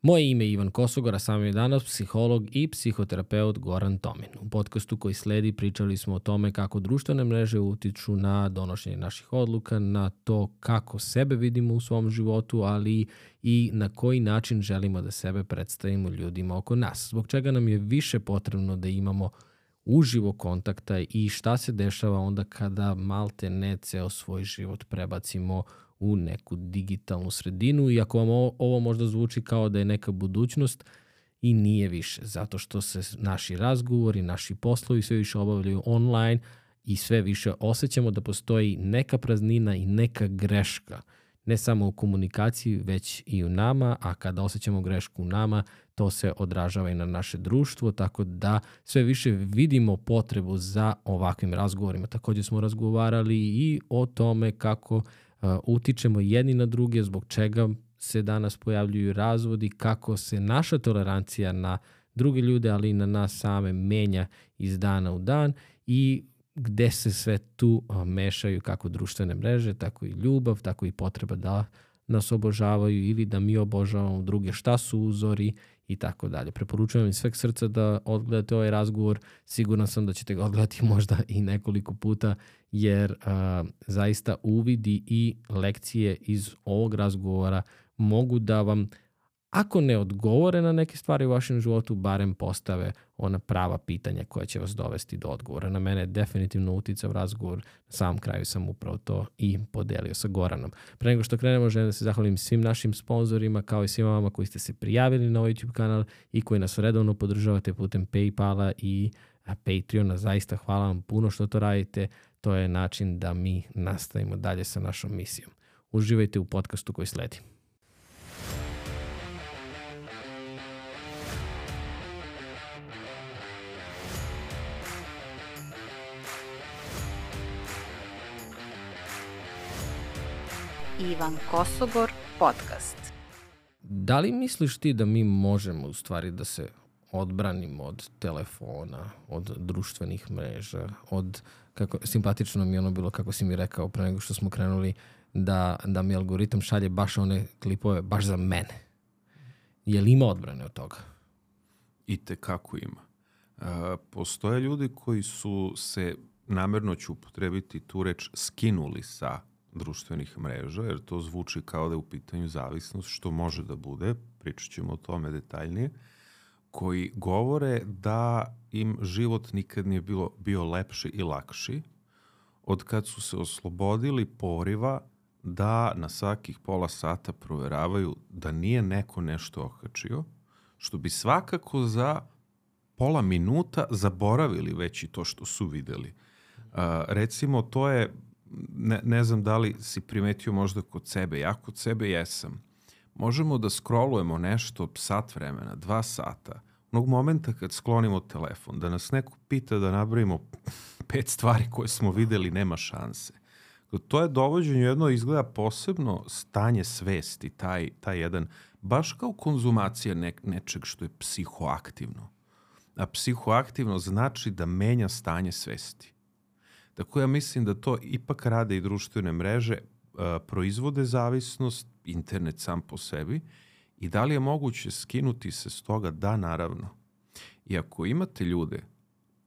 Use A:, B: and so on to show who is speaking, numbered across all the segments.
A: Moje ime je Ivan Kosogor, a sam je danas psiholog i psihoterapeut Goran Tomin. U podcastu koji sledi pričali smo o tome kako društvene mreže utiču na donošenje naših odluka, na to kako sebe vidimo u svom životu, ali i na koji način želimo da sebe predstavimo ljudima oko nas. Zbog čega nam je više potrebno da imamo uživo kontakta i šta se dešava onda kada malte ne ceo svoj život prebacimo u neku digitalnu sredinu, iako vam ovo možda zvuči kao da je neka budućnost, i nije više, zato što se naši razgovori, naši poslovi sve više obavljaju online i sve više osjećamo da postoji neka praznina i neka greška, ne samo u komunikaciji, već i u nama, a kada osjećamo grešku u nama, to se odražava i na naše društvo, tako da sve više vidimo potrebu za ovakvim razgovorima. Također smo razgovarali i o tome kako utičemo jedni na druge, zbog čega se danas pojavljuju razvodi, kako se naša tolerancija na druge ljude, ali i na nas same menja iz dana u dan i gde se sve tu mešaju kako društvene mreže, tako i ljubav, tako i potreba da nas obožavaju ili da mi obožavamo druge, šta su uzori i tako dalje. Preporučujem vam iz sveg srca da odgledate ovaj razgovor. Siguran sam da ćete ga odgledati možda i nekoliko puta, jer zaista uvidi i lekcije iz ovog razgovora mogu da vam, ako ne odgovore na neke stvari u vašem životu, barem postave ona prava pitanja koja će vas dovesti do odgovora. Na mene je definitivno uticao razgovor, na samom kraju sam upravo to i podelio sa Goranom. Pre nego što krenemo, želim da se zahvalim svim našim sponzorima, kao i svima vama koji ste se prijavili na ovaj YouTube kanal i koji nas redovno podržavate putem PayPala i Patreona. Zaista hvala vam puno što to radite. To je način da mi nastavimo dalje sa našom misijom. Uživajte u podcastu koji sledi.
B: Ivan Kosogor podcast.
A: Da li misliš ti da mi možemo u stvari da se odbranimo od telefona, od društvenih mreža, od, kako simpatično mi je ono bilo kako si mi rekao pre nego što smo krenuli, da mi algoritam šalje baš one klipove baš za mene. Je li ima odbrane od toga?
C: Itekako ima. Postoje ljudi koji su se, namerno ću upotrebiti tu reč, skinuli sa društvenih mreža, jer to zvuči kao da je u pitanju zavisnost, što može da bude, pričat ćemo o tome detaljnije, koji govore da im život nikad nije bio lepši i lakši od kad su se oslobodili poriva da na svakih pola sata proveravaju da nije neko nešto okačio, što bi svakako za pola minuta zaboravili već i to što su videli. Recimo, to je, ne znam da li si primetio možda kod sebe, ja kod sebe jesam. Možemo da scrollujemo nešto sat vremena, 2 sata, onog momenta kad sklonimo telefon, da nas neko pita da nabrojimo 5 stvari koje smo videli, nema šanse. To je dovođenje jedno, izgleda posebno stanje svesti, taj jedan, baš kao konzumacija nečeg što je psihoaktivno. A psihoaktivno znači da menja stanje svesti. Tako ja mislim da to ipak rade i društvene mreže, proizvode zavisnost, internet sam po sebi, i da li je moguće skinuti se s toga? Da, naravno. I ako imate ljude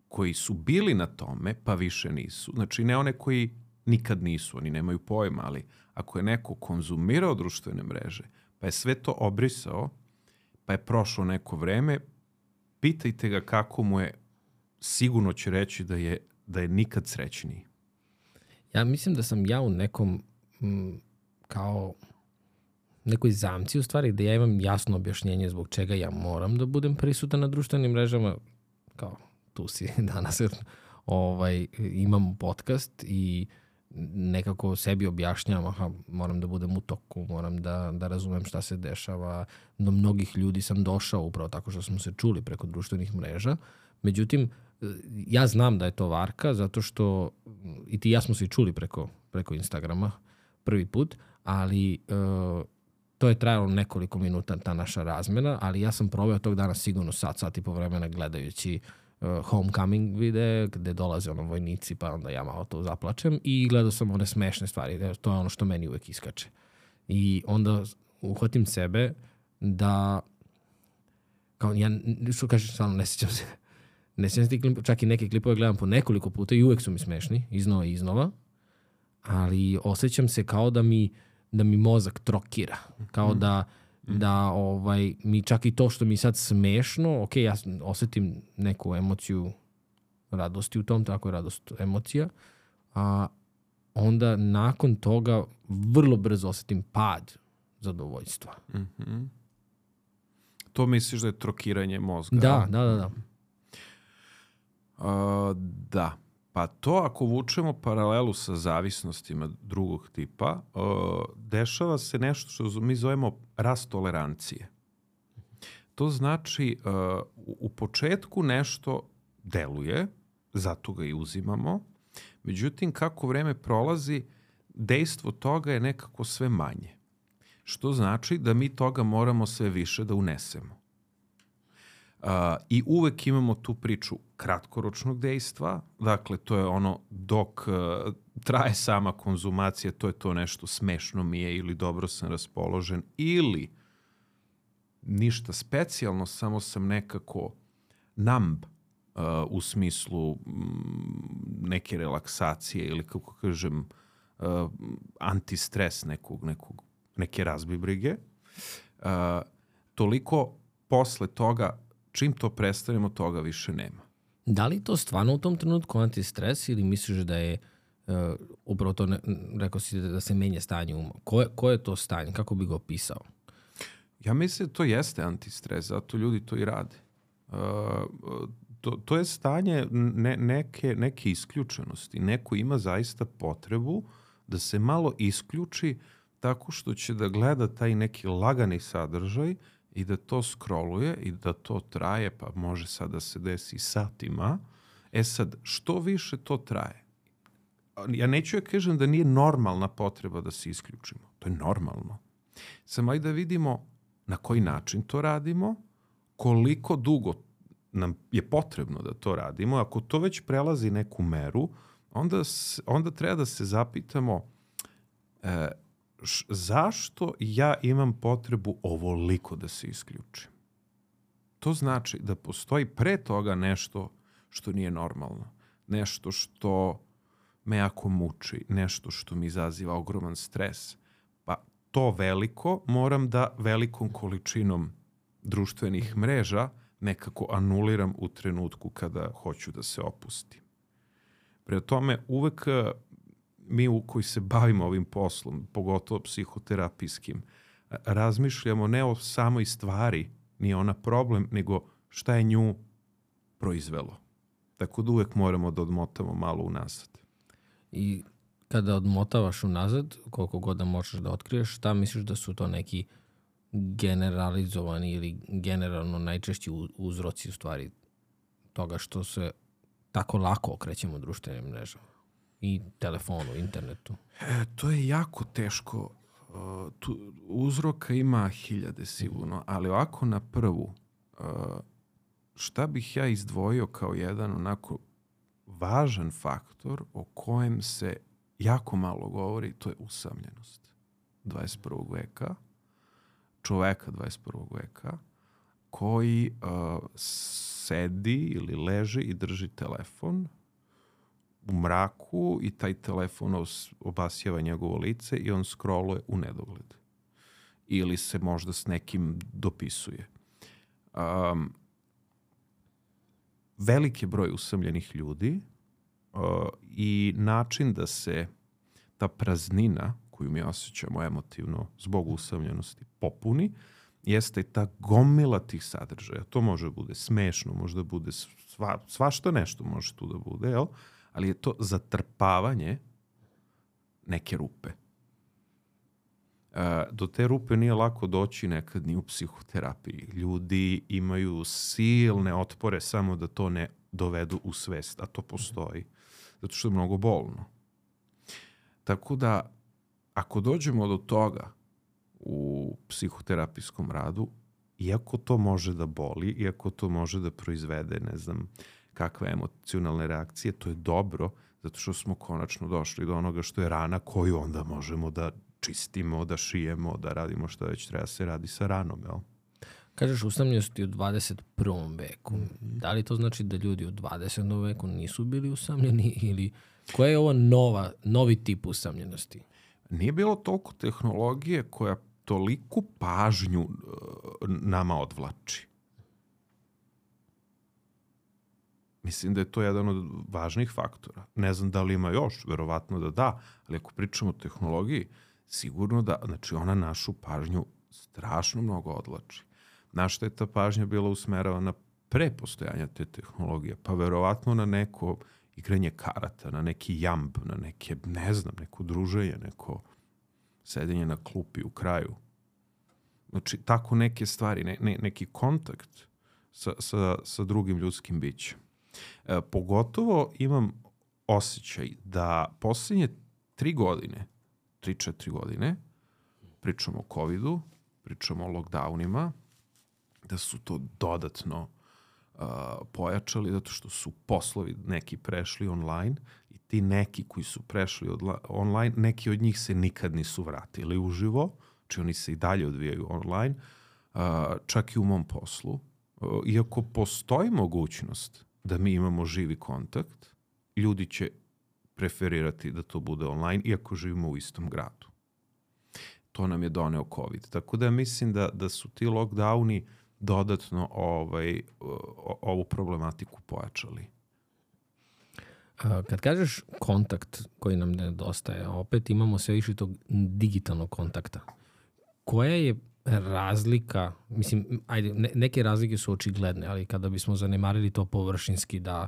C: koji su bili na tome, pa više nisu, znači ne one koji nikad nisu, oni nemaju pojma, ali ako je neko konzumirao društvene mreže, pa je sve to obrisao, pa je prošlo neko vreme, pitajte ga kako mu je, sigurno će reći da je nikad srećniji.
A: Ja mislim da sam ja u nekom kao nekoj zamci u stvari, da ja imam jasno objašnjenje zbog čega ja moram da budem prisutan na društvenim mrežama, kao tu si danas, imam podcast i nekako sebi objašnjavam, moram da budem u toku, moram da razumem šta se dešava. Do mnogih ljudi sam došao upravo tako što smo se čuli preko društvenih mreža. Međutim, ja znam da je to varka, zato što i ti i ja smo se i čuli preko Instagrama prvi put, ali to je trajalo nekoliko minuta, ta naša razmena, ali ja sam proveo tog dana sigurno sat i po vremena gledajući homecoming videe gde dolaze vojnici, pa onda ja malo to zaplačem i gledao sam one smešne stvari. To je ono što meni uvek iskače. I onda uhvatim sebe da kao ja, što kažeš, stvarno ne sjećam se. Ne sjećam se ti klipova, čak i neke klipove gledam po nekoliko puta i uvek su mi smešni, iznova i iznova, ali osjećam se kao da mi mozak trokira. Kao da mi čak i to što mi sad smešno, ok, ja osjetim neku emociju radosti u tom, tako je radost emocija, a onda nakon toga vrlo brzo osjetim pad zadovoljstva.
C: Mm-hmm. To misliš da je trokiranje mozga?
A: Da.
C: Da. Pa to ako vučemo paralelu sa zavisnostima drugog tipa, dešava se nešto što mi zovemo rast tolerancije. To znači u početku nešto deluje, zato ga i uzimamo, međutim kako vreme prolazi, dejstvo toga je nekako sve manje. Što znači da mi toga moramo sve više da unesemo. I uvek imamo tu priču kratkoročnog dejstva, dakle to je ono dok traje sama konzumacija, to je to nešto smešno mi je ili dobro sam raspoložen ili ništa specijalno, samo sam nekako numb u smislu neke relaksacije ili kako kažem antistres neke razbibrige. Toliko posle toga, čim to prestanemo, toga više nema.
A: Da li to stvarno u tom trenutku antistres ili misliš da je upravo to, rekao si da se menja stanje uma? Koje je to stanje? Kako bi ga opisao?
C: Ja mislim da to jeste antistres, zato ljudi to i rade. To je stanje neke isključenosti. Neko ima zaista potrebu da se malo isključi tako što će da gleda taj neki lagani sadržaj i da to scrolluje i da to traje, pa može sad da se desi satima. Sad, što više to traje? Ja neću ja kažem da nije normalna potreba da se isključimo. To je normalno. Samo ajde da vidimo na koji način to radimo, koliko dugo nam je potrebno da to radimo. Ako to već prelazi neku meru, onda treba da se zapitamo zašto ja imam potrebu ovoliko da se isključim. To znači da postoji pre toga nešto što nije normalno. Nešto što me jako muči, nešto što mi izaziva ogroman stres. Pa to veliko moram da velikom količinom društvenih mreža nekako anuliram u trenutku kada hoću da se opustim. Prema tome, uvek mi koji se bavimo ovim poslom, pogotovo psihoterapijskim, razmišljamo ne o samoj stvari, nije ona problem, nego šta je nju proizvelo. Tako da uvek moramo da odmotamo malo unazad.
A: I kada odmotavaš unazad, koliko god da možeš da otkriješ, šta misliš da su to neki generalizovani ili generalno najčešći uzroci u stvari toga što se tako lako okrećemo društvenim mrežama i telefonu, internetu?
C: To je jako teško. Uzroka ima 1000 sigurno, ali ovako na prvu, šta bih ja izdvojio kao jedan onako važan faktor o kojem se jako malo govori, to je usamljenost 21. veka, čoveka 21. veka, koji sedi ili leži i drži telefon u mraku i taj telefon obasjava njegovo lice i on scrolluje u nedogled. Ili se možda s nekim dopisuje. Veliki broj usamljenih ljudi i način da se ta praznina koju mi osjećamo emotivno zbog usamljenosti popuni, jeste ta gomila tih sadržaja. To može da bude smešno, može da bude svašta nešto može tu da bude, jel? Ali je to zatrpavanje neke rupe. Do te rupe nije lako doći nekad ni u psihoterapiji. Ljudi imaju silne otpore samo da to ne dovedu u svest, a to postoji. Zato što je mnogo bolno. Tako da, ako dođemo do toga u psihoterapijskom radu, iako to može da boli, iako to može da proizvede, ne znam, kakve emocionalne reakcije, to je dobro, zato što smo konačno došli do onoga što je rana koju onda možemo da čistimo, da šijemo, da radimo što već treba se radi sa ranom, jel?
A: Kažeš usamljenosti u 21. veku. Da li to znači da ljudi u 20. veku nisu bili usamljeni ili koja je ovo novi tip usamljenosti?
C: Nije bilo toliko tehnologije koja toliku pažnju nama odvlači. Mislim da je to jedan od važnih faktora. Ne znam da li ima još, verovatno da, ali ako pričamo o tehnologiji, sigurno da, znači ona našu pažnju strašno mnogo odvlači. Na šta je ta pažnja bila usmeravana pre postojanja te tehnologije? Pa verovatno na neko igranje karata, na neki jamb, na neke, ne znam, neko druženje, neko sedenje na klupi u kraju. Znači, tako neke stvari, neki kontakt sa drugim ljudskim bićem. Pogotovo imam osjećaj da posljednje 3-4 godine, pričamo o covidu, pričamo o lockdownima, da su to dodatno pojačali zato što su poslovi neki prešli online i ti neki koji su prešli online, neki od njih se nikad nisu vratili uživo, znači oni se i dalje odvijaju online, čak i u mom poslu. Iako postoji mogućnost da mi imamo živi kontakt, ljudi će preferirati da to bude online, iako živimo u istom gradu. To nam je doneo COVID. Tako da mislim da su ti lockdowni dodatno ovu problematiku pojačali.
A: Kad kažeš kontakt koji nam nedostaje, opet imamo sve više tog digitalnog kontakta. Koja je razlika, mislim, ajde, neke razlike su očigledne, ali kada bismo zanemarili to površinski da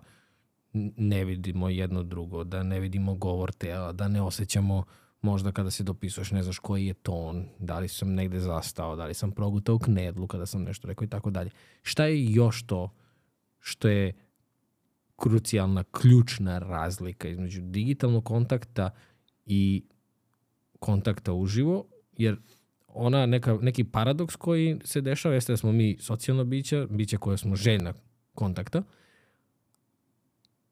A: ne vidimo jedno drugo, da ne vidimo govor tela, da ne osjećamo možda kada se dopisuješ, ne znaš koji je ton, da li sam negde zastao, da li sam progutao knedlu kada sam nešto rekao i tako dalje. Šta je još to što je krucijalna, ključna razlika između digitalnog kontakta i kontakta uživo? Jer neki paradoks koji se dešava jeste da smo mi socijalno bića koje smo željna kontakta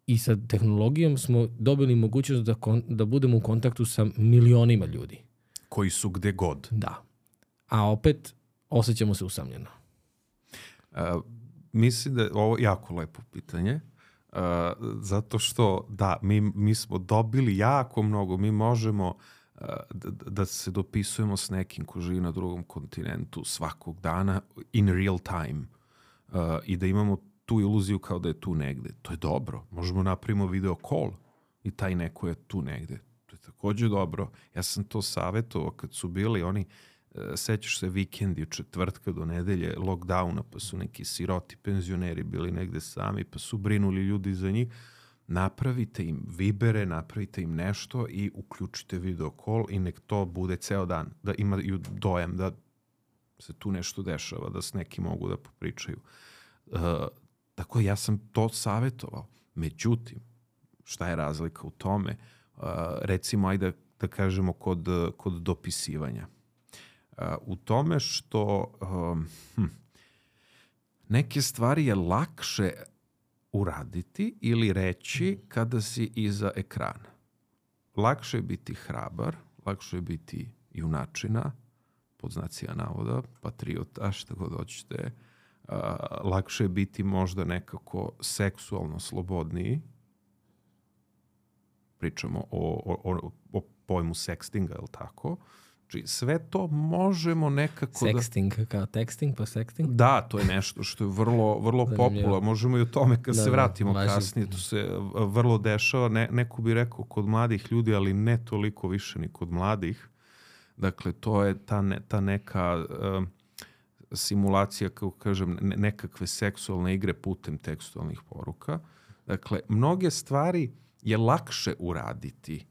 A: i sa tehnologijom smo dobili mogućnost da budemo u kontaktu sa milionima ljudi.
C: Koji su gde god.
A: Da. A opet osjećamo se usamljeno.
C: Mislim da je ovo jako lepo pitanje. Zato što, da, mi smo dobili jako mnogo. Mi možemo da se dopisujemo s nekim ko živi na drugom kontinentu svakog dana in real time i da imamo tu iluziju kao da je tu negde. To je dobro. Možemo napravimo video call i taj neko je tu negde. To je također dobro. Ja sam to savjetovao kad su bili oni, sećaš se vikendi od četvrtka do nedelje, lockdowna, pa su neki siroti penzioneri bili negde sami, pa su brinuli ljudi za njih. Napravite im vibere, napravite im nešto i uključite video call i nek to bude ceo dan. Da imaju dojam da se tu nešto dešava, da s neki mogu da popričaju. Tako ja sam to savjetovao. Međutim, šta je razlika u tome? Recimo, ajde da kažemo kod dopisivanja. U tome što neke stvari je lakše uraditi ili reći kada si iza ekrana. Lakše je biti hrabar, lakše je biti junačina, pod znacima navoda, patriota, šta god hoćete. Lakše je biti možda nekako seksualno slobodniji. Pričamo o pojmu sextinga, je li tako? Znači, sve to možemo nekako
A: Sexting, kao texting pa sexting?
C: Da, to je nešto što je vrlo popularno. Možemo i o tome kad se vratimo kasnije. To se vrlo dešava. Neko bi rekao kod mladih ljudi, ali ne toliko više ni kod mladih. Dakle, to je ta neka simulacija, kako kažem, nekakve seksualne igre putem tekstualnih poruka. Dakle, mnoge stvari je lakše uraditi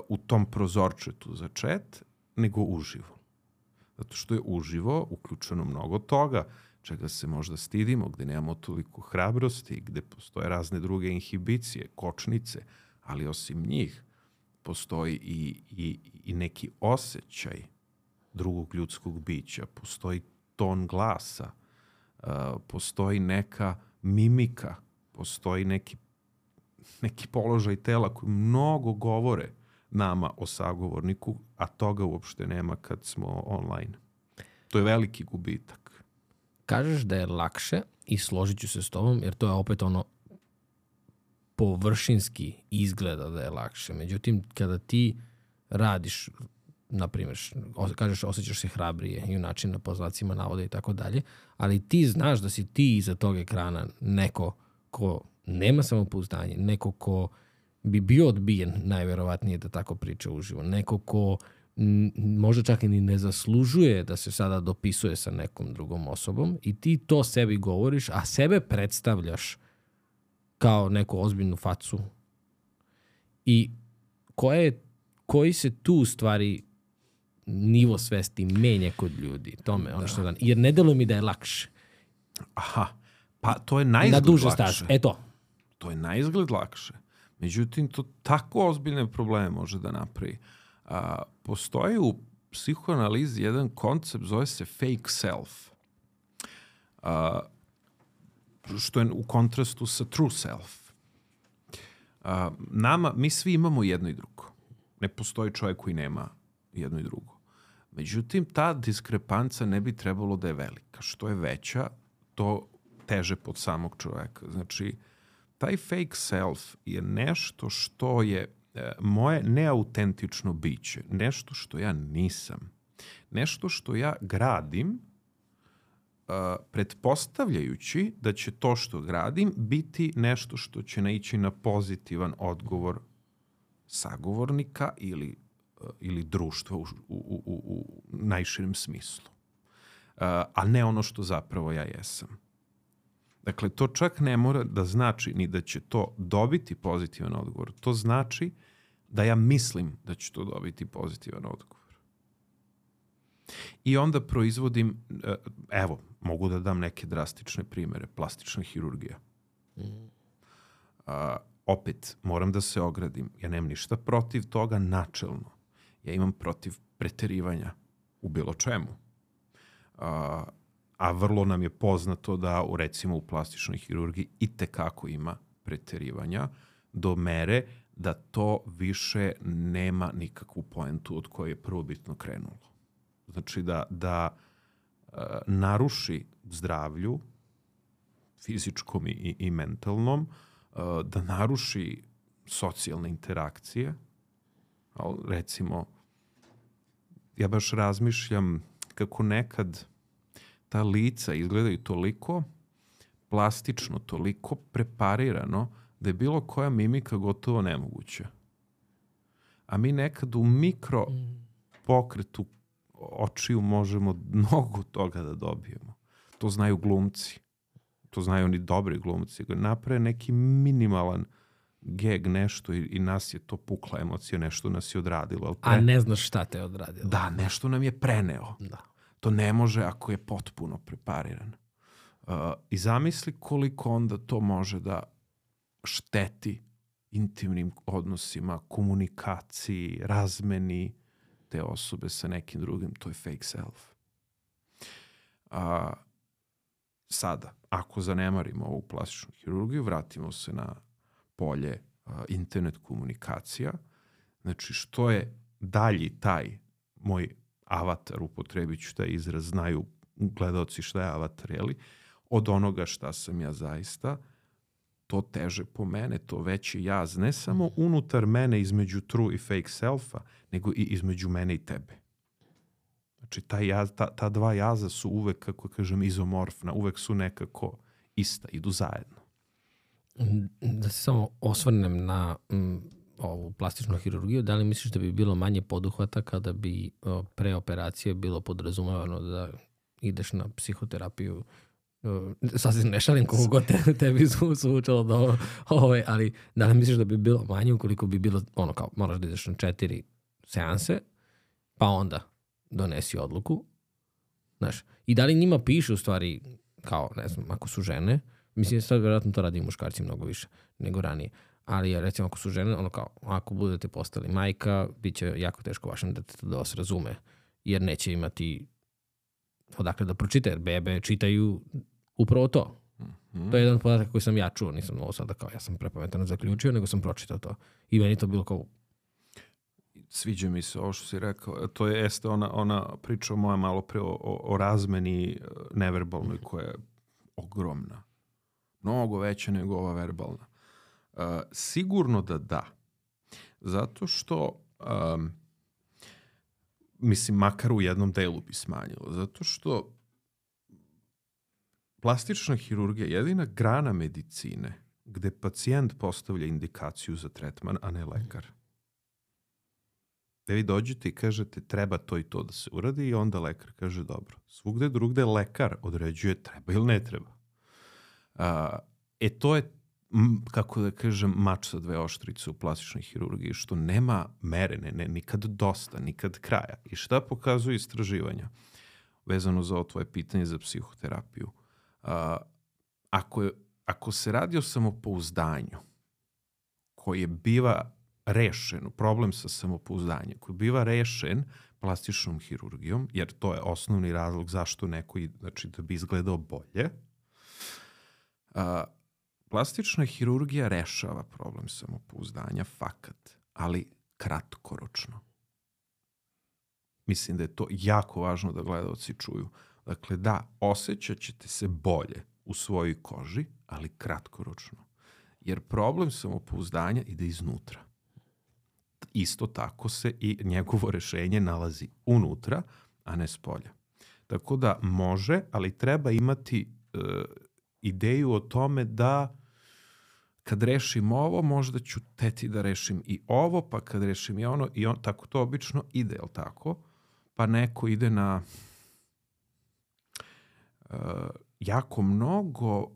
C: u tom prozorčetu za chat nego uživo. Zato što je uživo uključeno mnogo toga čega se možda stidimo, gde nemamo toliko hrabrosti, gde postoje razne druge inhibicije, kočnice, ali osim njih postoji i neki osjećaj drugog ljudskog bića, postoji ton glasa, postoji neka mimika, postoji neki položaj tela koji mnogo govore nama o sagovorniku, a toga uopšte nema kad smo online. To je veliki gubitak.
A: kažeš da je lakše i složit ću se s tobom, jer to je opet ono površinski izgleda da je lakše. Međutim, kada ti radiš, na primjer, kažeš osjećaš se hrabrije i u načinu po znacima navoda i tako dalje, ali ti znaš da si ti iza tog ekrana neko ko nema samopouzdanje, neko ko bi bio odbijen, najverovatnije da tako priča uživo, neko ko možda čak i ne zaslužuje da se sada dopisuje sa nekom drugom osobom i ti to sebi govoriš, a sebe predstavljaš kao neku ozbiljnu facu. I koji se tu u stvari nivo svesti menja kod ljudi? Tome, ono što jer ne deluje mi da je lakše.
C: Aha, pa to je naizgled
A: na duže
C: lakše.
A: staze. Eto.
C: To je naizgled lakše. Međutim, to tako ozbiljne probleme može da napravi. Postoji u psihoanalizi jedan koncept, zove se fake self. Što je u kontrastu sa true self. Mi svi imamo jedno i drugo. Ne postoji čovjek koji nema jedno i drugo. Međutim, ta diskrepanca ne bi trebalo da je velika. Što je veća, to teže pod samog čovjeka. Znači, taj fake self je nešto što je moje neautentično biće. Nešto što ja nisam. Nešto što ja gradim pretpostavljajući da će to što gradim biti nešto što će naići na pozitivan odgovor sagovornika ili društva u najširem smislu. A ne ono što zapravo ja jesam. Dakle, to čak ne mora da znači ni da će to dobiti pozitivan odgovor. To znači da ja mislim da će to dobiti pozitivan odgovor. I onda proizvodim, evo, mogu da dam neke drastične primere. Plastična hirurgija. Opet, moram da se ogradim. Ja nemam ništa protiv toga načelno. Ja imam protiv preterivanja u bilo čemu. A vrlo nam je poznato da, recimo, u plastičnoj hirurgiji itekako ima preterivanja do mere da to više nema nikakvu poentu od koje je prvobitno krenulo. Znači da naruši zdravlju, fizičkom i mentalnom, da naruši socijalne interakcije. Recimo, ja baš razmišljam kako nekad ta lica izgledaju toliko plastično, toliko preparirano, da je bilo koja mimika gotovo nemoguća. A mi nekad u mikro pokretu očiju možemo mnogo toga da dobijemo. To znaju glumci. To znaju oni dobri glumci. Naprave neki minimalan geg nešto i nas je to pukla emocija, nešto nas je odradilo.
A: A ne znaš šta te je odradilo.
C: Da, nešto nam je preneo.
A: Da.
C: To ne može ako je potpuno prepariran. I zamisli koliko onda to može da šteti intimnim odnosima, komunikaciji, razmeni te osobe sa nekim drugim. To je fake self. Sada, ako zanemarimo ovu plastičnu hirurgiju, vratimo se na polje internet komunikacija. Znači, što je dalji taj moj avatar, upotrebit ću taj izraz, znaju gledaoci šta je avatar, jeli, od onoga šta sam ja zaista, to teže po mene, to veći jaz, ne samo unutar mene između true i fake selfa, nego i između mene i tebe. Znači, ta dva jaza su uvek, kako kažem, izomorfna, uvek su nekako ista, idu zajedno.
A: Da se samo osvrnem na ovu plastičnu hirurgiju, da li misliš da bi bilo manje poduhvata kada bi pre operacije bilo podrazumevano da ideš na psihoterapiju? Sasvim ne šalim koliko god tebi zvučalo da ali da li misliš da bi bilo manje ukoliko bi bilo ono kao moraš da ideš na 4 seanse, pa onda donesi odluku, znaš, i da li njima piše u stvari kao, ne znam, ako su žene, mislim sad vjerojatno to radi i muškarci mnogo više nego ranije, ali recimo ako su žene, ono kao, ako budete postali majka, bit će jako teško vašem detetu da vas razume, jer neće imati odakle da pročita, jer bebe čitaju upravo to. To je jedan podatak koji sam ja čuo, nisam ovo sada kao ja sam prepametano zaključio, nego sam pročitao to. I meni to bilo kao
C: Sviđa mi se ovo što si rekao. To jeste ona priča moja malo pre o razmeni neverbalnoj koja je ogromna. Mnogo veća nego ova verbalna. Sigurno da. Zato što, mislim, makar u jednom delu bi smanjilo. Zato što plastična hirurgija je jedina grana medicine gde pacijent postavlja indikaciju za tretman, a ne lekar. Da vi dođete i kažete treba to i to da se uradi i onda lekar kaže dobro. Svugde drugde lekar određuje treba ili ne treba. To je, kako da kažem, mač sa dve oštrice u plastičnoj hirurgiji, što nema mere, nikad dosta, nikad kraja. I šta pokazuju istraživanja vezano za ovo tvoje pitanje za psihoterapiju? Ako se radi o samopouzdanju koji biva rešen, problem sa samopouzdanjem, koji biva rešen plastičnom hirurgijom, jer to je osnovni razlog zašto neko, znači da bi izgledao bolje, plastična hirurgija rešava problem samopouzdanja, fakat, ali kratkoročno. Mislim da je to jako važno da gledaoci čuju. Dakle, da, osjećat ćete se bolje u svojoj koži, ali kratkoročno. Jer problem samopouzdanja ide iznutra. Isto tako se i njegovo rešenje nalazi unutra, a ne spolja. Tako da može, ali treba imati ideju o tome da kad rešim ovo, možda ću teti da rešim i ovo, pa kad rešim i ono, tako to obično ide, jel tako? Pa neko ide na jako mnogo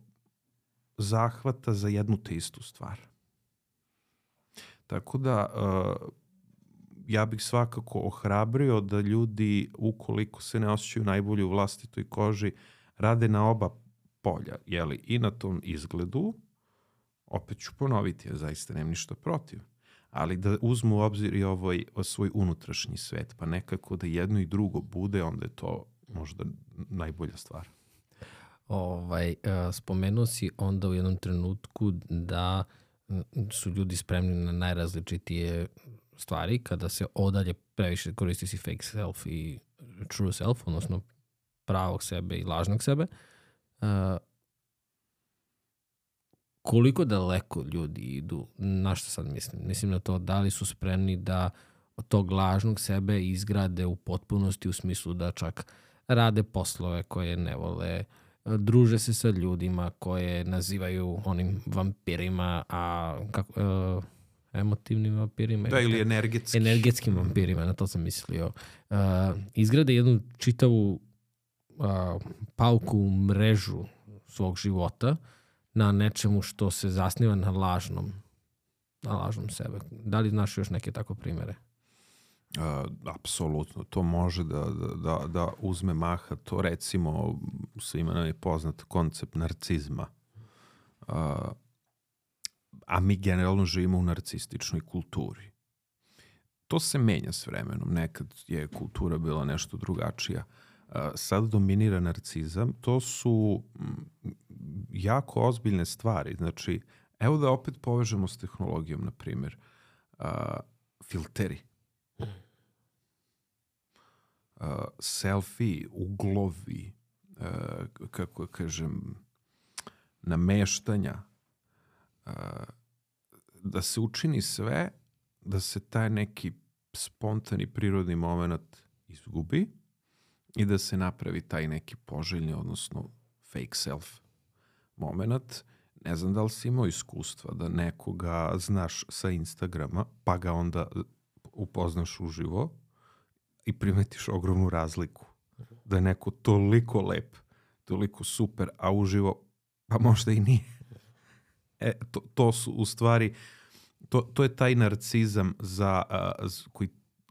C: zahvata za jednu te istu stvar. Tako da ja bih svakako ohrabrio da ljudi, ukoliko se ne osjećaju najbolje u vlastitoj koži, rade na oba polja, jeli, i na tom izgledu, opet ću ponoviti, ja zaista nemam ništa protiv, ali da uzmu u obzir i svoj unutrašnji svet, pa nekako da jedno i drugo bude, onda je to možda najbolja stvar.
A: Spomenuo si onda u jednom trenutku da su ljudi spremni na najrazličitije stvari kada se odalje previše koristi si fake self i true self, odnosno pravog sebe i lažnog sebe. Koliko daleko ljudi idu, na što sad mislim? Mislim na to da li su spremni da od tog lažnog sebe izgrade u potpunosti, u smislu da čak rade poslove koje ne vole, druže se sa ljudima koje nazivaju onim vampirima, emotivnim vampirima.
C: Da, ili
A: energetskim vampirima, na to sam mislio. Izgrade jednu čitavu pauku mrežu svog života na nečemu što se zasniva na lažnom sebe. Da li znaš još neke tako primere?
C: Apsolutno, to može da uzme maha. To recimo svima nam je poznat koncept narcizma. A mi generalno živimo u narcističnoj kulturi. To se menja s vremenom. Nekad je kultura bila nešto drugačija. Sad dominira narcizam. To su jako ozbiljne stvari. Znači, evo da opet povežemo s tehnologijom, na primjer. Filteri. Selfie, uglovi, kako kažem, nameštanja, da se učini sve da se taj neki spontani prirodni moment izgubi i da se napravi taj neki poželjni, odnosno fake self moment. Ne znam da li si imao iskustva da nekoga znaš sa Instagrama, pa ga onda upoznaš uživo i primetiš ogromnu razliku. Da je neko toliko lep, toliko super, a uživo pa možda i nije. To su u stvari, to je taj narcizam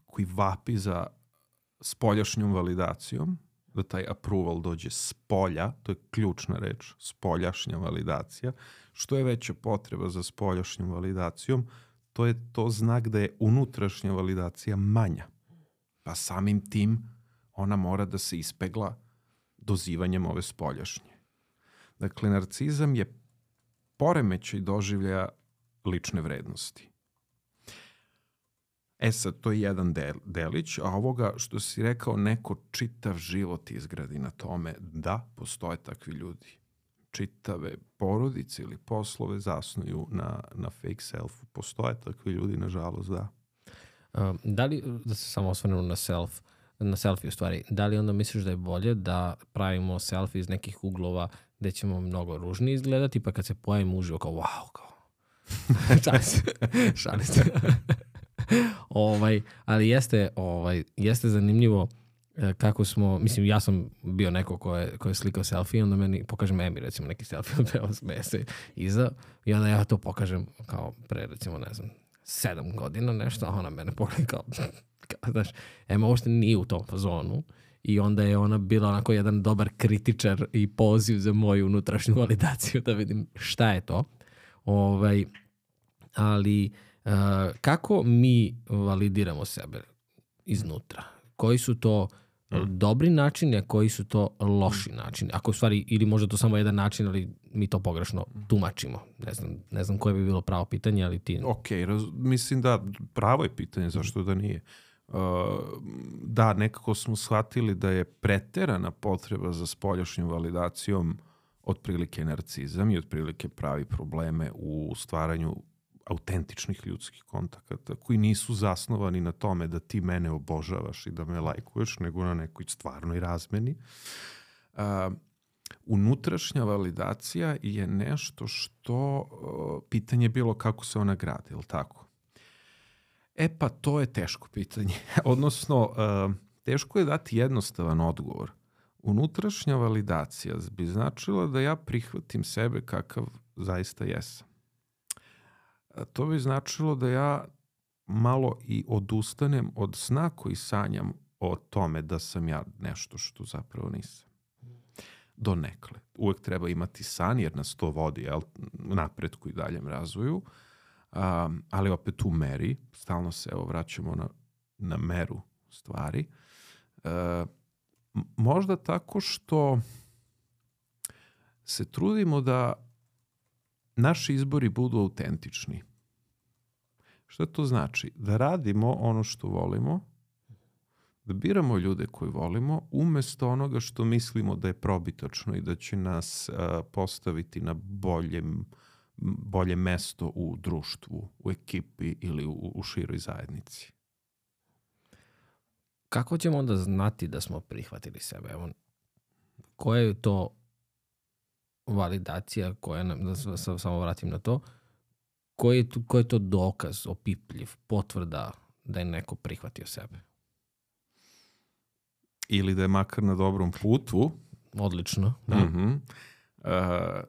C: koji vapi za spoljašnjom validacijom, da taj approval dođe s polja, to je ključna reč, spoljašnja validacija. Što je veća potreba za spoljašnjom validacijom, to je to znak da je unutrašnja validacija manja. Pa samim tim ona mora da se ispegla dozivanjem ove spoljašnje. Dakle, narcizam je poremećaj doživljaja lične vrednosti. Sad, to je jedan delić, a ovoga što si rekao, neko čitav život izgradi na tome, da, postoje takvi ljudi. Čitave porodice ili poslove zasnuju na fake selfu. Postoje takvi ljudi, nažalost, da.
A: Da li, da se samo osvrnemo na selfie u stvari, da li onda misliš da je bolje da pravimo selfie iz nekih uglova gde ćemo mnogo ružnije izgledati, pa kad se pojavimo uživo kao wow, kao šalim se. Ali jeste zanimljivo kako smo, mislim, ja sam bio neko ko je slikao selfie, onda meni pokažem Emi, recimo, neki selfie od Bela smeje se iza i onda ja to pokažem kao pre, recimo, ne znam, 7 godina nešto, a ona mene pogleda kao znaš, Ema uopšte nije u tom fazonu i onda je ona bila onako jedan dobar kritičar i poziv za moju unutrašnju validaciju da vidim šta je to. Ali kako mi validiramo sebe iznutra? Koji su to dobri načini, a koji su to loši načini? Ako u stvari, ili možda to samo jedan način, ali mi to pogrešno tumačimo. Ne znam koje bi bilo pravo pitanje, ali ti...
C: Ok, mislim da pravo je pitanje, zašto da nije. Da, nekako smo shvatili da je preterana potreba za spoljašnjom validacijom otprilike narcizam i otprilike pravi probleme u stvaranju autentičnih ljudskih kontakata koji nisu zasnovani na tome da ti mene obožavaš i da me lajkuješ, nego na nekoj stvarnoj razmeni. Unutrašnja validacija je nešto što pitanje je bilo kako se ona gradi, je li tako? Pa to je teško pitanje. Odnosno, teško je dati jednostavan odgovor. Unutrašnja validacija bi značila da ja prihvatim sebe kakav zaista jesam. To bi značilo da ja malo i odustanem od sna koji sanjam o tome da sam ja nešto što zapravo nisam. Donekle. Uvek treba imati san jer nas to vodi napretku i daljem razvoju, ali opet u meri. Stalno se vraćamo na meru stvari. Možda tako što se trudimo da naši izbori budu autentični. Šta to znači? Da radimo ono što volimo, da biramo ljude koje volimo, umesto onoga što mislimo da je probitačno i da će nas postaviti na bolje mesto u društvu, u ekipi ili u široj zajednici.
A: Kako ćemo onda znati da smo prihvatili sebe? Evo, koja je to validacija koja nam, da se samo vratim na to, koji je to dokaz, opipljiv, potvrda da je neko prihvatio sebe?
C: Ili da je makar na dobrom putu.
A: Odlično. Da.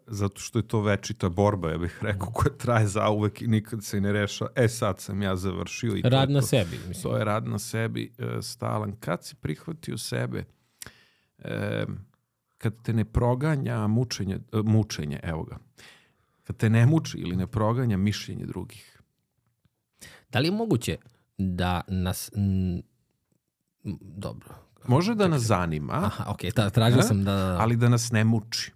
C: Zato što je to večita borba, ja bih rekao, koja traje zauvek i nikad se ne reša. Sad sam ja završio. I
A: rad na sebi. Mislim.
C: To je rad na sebi stalan. Kad si prihvatio sebe, kad te ne proganja mučenje, evo ga. Kad te ne muči ili ne proganja mišljenje drugih.
A: Da li je moguće da nas... Dobro.
C: Može da nas zanima.
A: Aha, okej, tražio sam da...
C: Ali da nas ne muči.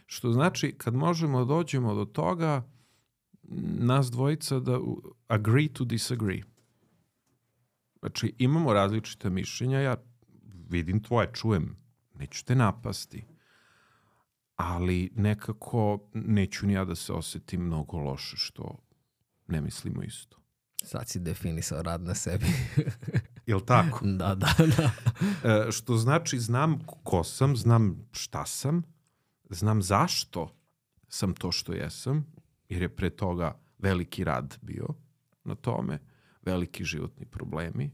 C: Što znači, kad možemo dođemo do toga, nas dvojica da agree to disagree. Znači, imamo različite mišljenja, ja vidim tvoje, čujem, neću te napasti. Ali nekako neću ni ja da se osjetim mnogo loše što ne mislimo isto.
A: Sad si definisao rad na sebi.
C: Jel' tako?
A: Da.
C: Što znači znam ko sam, znam šta sam, znam zašto sam to što jesam, jer je pre toga veliki rad bio na tome, veliki životni problemi,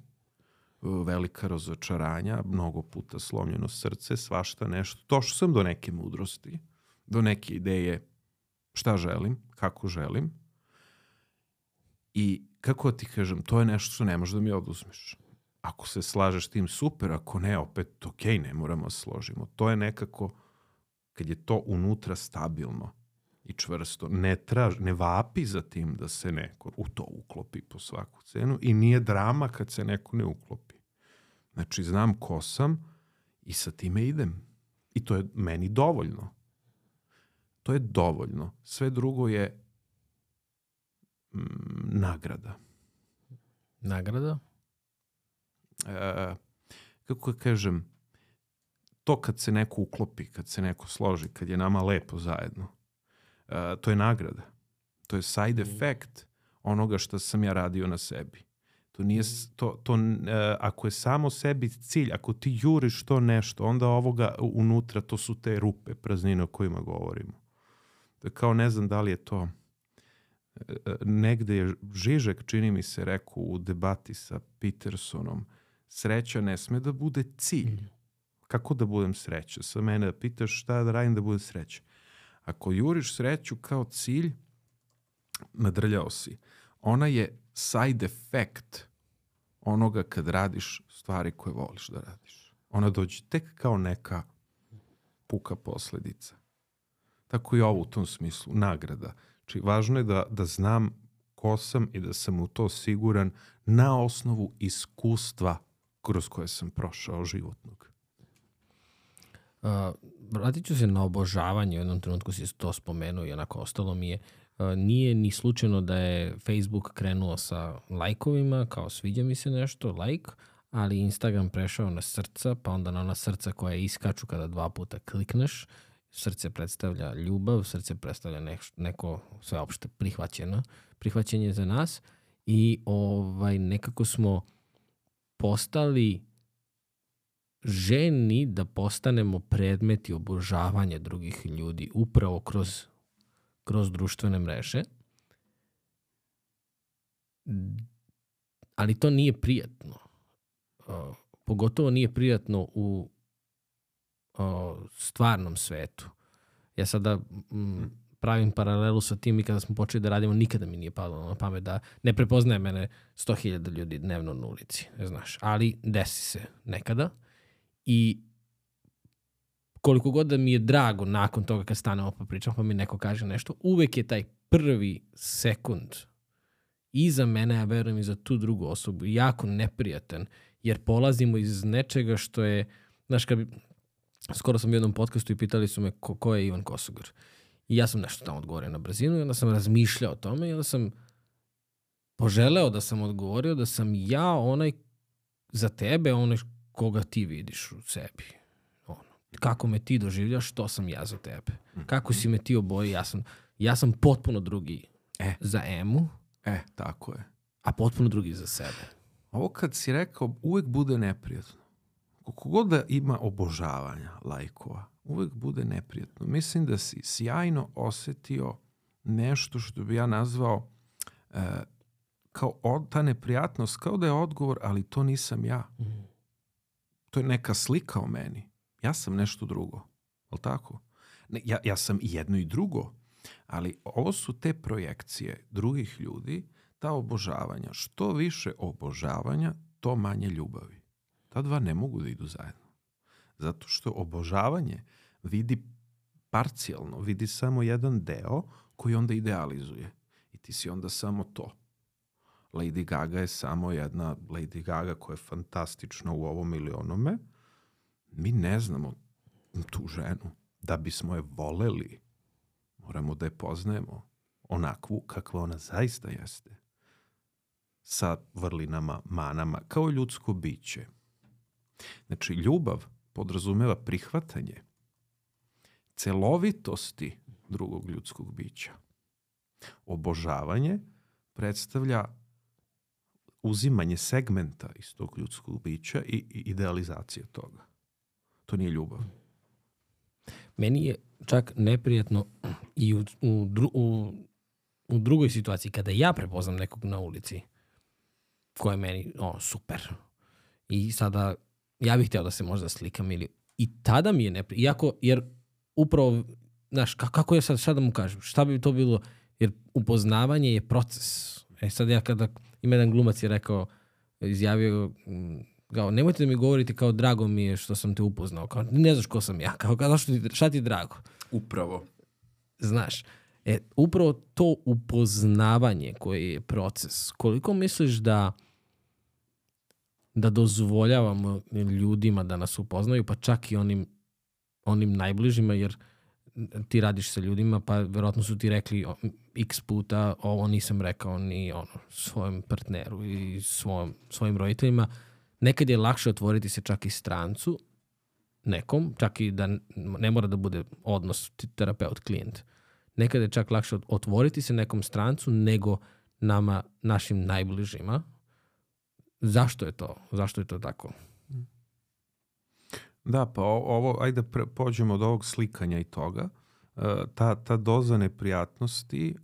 C: velika razočaranja, mnogo puta slomljeno srce, svašta nešto. Došao sam do neke mudrosti, do neke ideje šta želim, kako želim. I kako ti kažem, to je nešto što ne možeš da mi oduzmeš. Ako se slažeš tim, super, ako ne, opet ok, ne moramo se složimo. To je nekako, kad je to unutra stabilno i čvrsto, ne vapi za tim da se neko u to uklopi po svaku cenu i nije drama kad se neko ne uklopi. Znači, znam ko sam i sa time idem. I to je meni dovoljno. To je dovoljno. Sve drugo je nagrada.
A: Nagrada?
C: Kako kažem, to kad se neko uklopi, kad se neko složi, kad je nama lepo zajedno, to je nagrada. To je side effect onoga što sam ja radio na sebi. To nije, ako je samo sebi cilj, ako ti juriš to nešto, onda ovoga unutra, to su te rupe, praznine o kojima govorimo. To je kao, ne znam da li je to, negde je Žižek, čini mi se, rekao u debati sa Petersonom, sreća ne sme da bude cilj. Kako da budem sreća? Sa mene da pitaš šta da radim da budem sreća. Ako juriš sreću kao cilj, nadrljao si. Ona je side effect onoga kad radiš stvari koje voliš da radiš. Ona dođe tek kao neka puka posledica. Tako i ovo u tom smislu, nagrada. Znači, važno je da znam ko sam i da sam u to siguran na osnovu iskustva kroz koje sam prošao životnog.
A: Vratit ću se na obožavanje. U jednom trenutku si to spomenuo i onako ostalo mi je. Nije ni slučajno da je Facebook krenuo sa lajkovima, kao sviđa mi se nešto, like, ali Instagram prešao na srca, pa onda na ona srca koja iskaču kada 2 puta klikneš. Srce predstavlja ljubav, srce predstavlja neko sveopšte prihvaćenje za nas i nekako smo postali željni da postanemo predmeti obožavanja drugih ljudi upravo kroz društvene mreže. Ali to nije prijatno. Pogotovo nije prijatno u stvarnom svetu. Ja sada pravim paralelu sa tim i kada smo počeli da radimo, nikada mi nije palo na pamet da ne prepoznaje mene 100.000 ljudi dnevno na ulici. Ne znaš. Ali desi se nekada. I koliko god da mi je drago nakon toga kad stanemo pa pričam pa mi neko kaže nešto, uvek je taj prvi sekund i za mene, ja verujem i za tu drugu osobu, jako neprijatan, jer polazimo iz nečega što je, znaš, skoro sam u jednom podcastu i pitali su me ko je Ivan Kosogor. I ja sam nešto tamo odgovorio na brzinu i onda sam razmišljao o tome i onda sam poželeo da sam odgovorio da sam ja onaj za tebe, onaj koga ti vidiš u sebi. Kako me ti doživljaš, to sam ja za tebe. Kako si me ti oboji, ja sam potpuno drugi za Emu.
C: Tako je.
A: A potpuno drugi za sebe.
C: Ovo kad si rekao, uvek bude neprijatno. Koliko god da ima obožavanja lajkova, uvek bude neprijatno. Mislim da si sjajno osetio nešto što bi ja nazvao kao ta neprijatnost, kao da je odgovor, ali to nisam ja. To je neka slika o meni. Ja sam nešto drugo. Je li tako? Ne, ja sam i jedno i drugo. Ali ovo su te projekcije drugih ljudi, ta obožavanja. Što više obožavanja, to manje ljubavi. Ta dva ne mogu da idu zajedno. Zato što obožavanje vidi parcijalno, vidi samo jedan deo koji onda idealizuje. I ti si onda samo to. Lady Gaga je samo jedna Lady Gaga koja je fantastična u ovom ili onome. Mi ne znamo tu ženu. Da bismo je voleli, moramo da je poznajemo onakvu kakva ona zaista jeste. Sa vrlinama, manama, kao ljudsko biće. Znači, ljubav podrazumeva prihvatanje celovitosti drugog ljudskog bića. Obožavanje predstavlja uzimanje segmenta iz tog ljudskog bića i idealizacija toga. To nije ljubav.
A: Meni je čak neprijatno i u drugoj situaciji, kada ja prepoznam nekog na ulici, ko je meni super. I sada ja bih htio da se možda slikam i tada mi je neprijatno. Jer upravo, znaš, kako je sad, šta da mu kažem? Šta bi to bilo? Jer upoznavanje je proces. Sad ja kada ima jedan glumac je rekao, izjavio kao, nemojte da mi govorite kao drago mi je što sam te upoznao. Kao, ne znaš ko sam ja. Kao, šta ti je drago?
C: Upravo.
A: Znaš, upravo to upoznavanje koje je proces. Koliko misliš da dozvoljavamo ljudima da nas upoznaju, pa čak i onim najbližima, jer ti radiš sa ljudima, pa verovatno su ti rekli x puta ovo nisam rekao ni svojem partneru i svojim roditeljima. Nekad je lakše otvoriti se čak i strancu nekom, čak i da ne mora da bude odnos terapeut-klijent. Nekad je čak lakše otvoriti se nekom strancu nego našim najbližima. Zašto je to? Zašto je to tako?
C: Da, pa ovo, ajde pođemo od ovog slikanja i toga. Ta doza neprijatnosti,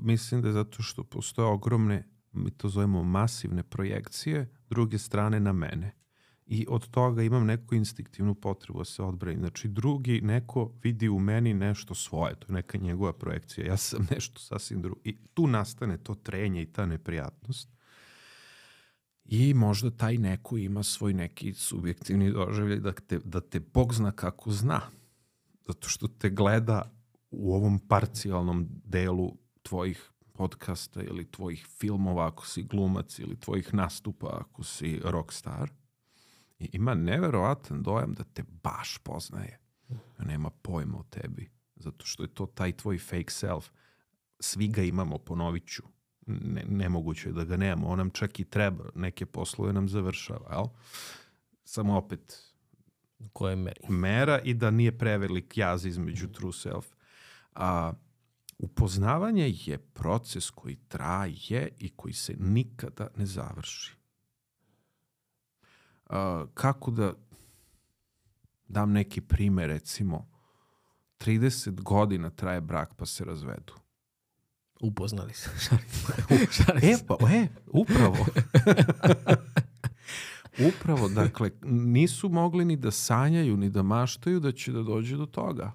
C: mislim da je zato što postoje ogromne, mi to zovemo masivne projekcije, druge strane na mene. I od toga imam neku instinktivnu potrebu da se odbranim. Znači, drugi neko vidi u meni nešto svoje, to je neka njegova projekcija. Ja sam nešto sasvim drugo. I tu nastane to trenje i ta neprijatnost. I možda taj neko ima svoj neki subjektivni doživljaj da te Bog zna kako zna. Zato što te gleda u ovom parcijalnom delu tvojih podcasta ili tvojih filmova ako si glumac ili tvojih nastupa ako si rockstar. I ima neverovatan dojam da te baš poznaje. Nema pojma o tebi. Zato što je to taj tvoj fake self. Svi ga imamo, ponovit ću. Nemoguće je da ga nemamo. On nam čak i treba. Neke poslove nam završava. Jel? Samo opet
A: koje meri?
C: Mera i da nije prevelik jaz između true self. Upoznavanje je proces koji traje i koji se nikada ne završi. Kako da dam neki primer, recimo 30 godina traje brak pa se razvedu.
A: Upoznali se.
C: Upravo. Upravo, dakle, nisu mogli ni da sanjaju, ni da maštaju da će da dođe do toga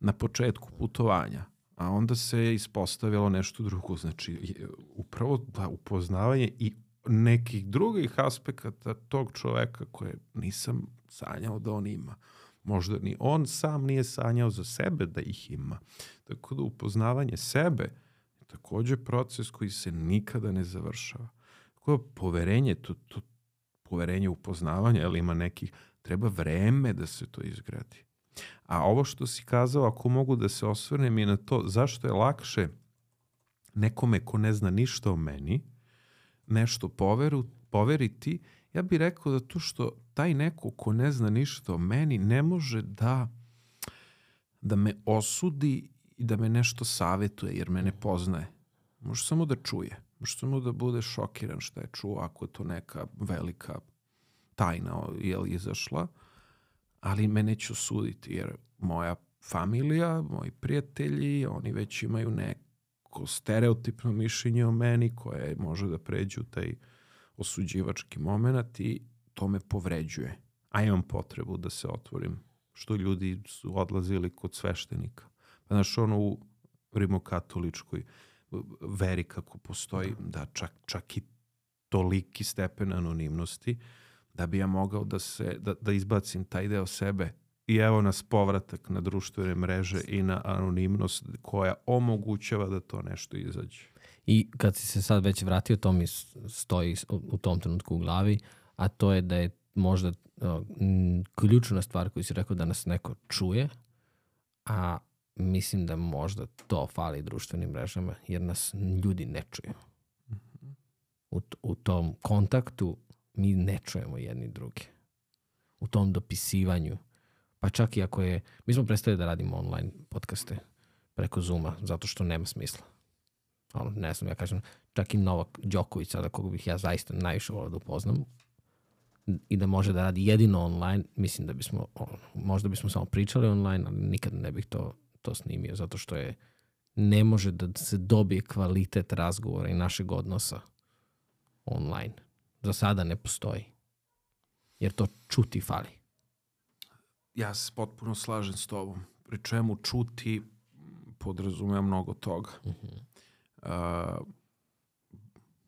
C: na početku putovanja. A onda se ispostavilo nešto drugo. Znači, upravo da upoznavanje i nekih drugih aspekata tog čoveka koje nisam sanjao da on ima. Možda ni on sam nije sanjao za sebe da ih ima. Tako da upoznavanje sebe je također proces koji se nikada ne završava. Tako da poverenje, to poverenje upoznavanja, ali ima nekih, treba vreme da se to izgradi. A ovo što si kazao, ako mogu da se osvrnem je na to zašto je lakše nekome ko ne zna ništa o meni, nešto poveriti, ja bih rekao da to što taj neko ko ne zna ništa o meni ne može da me osudi i da me nešto savjetuje jer me ne poznaje. Može samo da čuje. Može samo da bude šokiran šta je čuo ako je to neka velika tajna izašla, ali me neće osuditi jer moja familija, moji prijatelji, oni već imaju neko stereotipno mišljenje o meni koje može da pređe u taj osuđivački moment i to me povređuje. A imam potrebu da se otvorim. Što ljudi su odlazili kod sveštenika. Pa znaš, ono u rimokatoličkoj veri kako postoji, da čak i toliki stepen anonimnosti, da bi ja mogao da izbacim taj deo sebe. I evo nas povratak na društvene mreže i na anonimnost koja omogućava da to nešto izađe.
A: I kad si se sad već vratio, to mi stoji u tom trenutku u glavi, a to je da je možda ključna stvar koju si rekao da nas neko čuje, a mislim da možda to fali društvenim mrežama, jer nas ljudi ne čuju. U tom kontaktu mi ne čujemo jedni druge. U tom dopisivanju. Pa čak i ako je... Mi smo prestali da radimo online podcaste preko Zooma, zato što nema smisla. Ne znam, ja kažem, čak i Novak Đoković, sada koga bih ja zaista najviše volio da upoznam, i da može da radi jedino online, mislim da bismo, možda bismo samo pričali online, ali nikad ne bih to snimio, zato što ne može da se dobije kvalitet razgovora i našeg odnosa online. Za sada ne postoji. Jer to čuti fali.
C: Ja se potpuno slažem s tobom. Pri čemu čuti podrazumeva mnogo toga.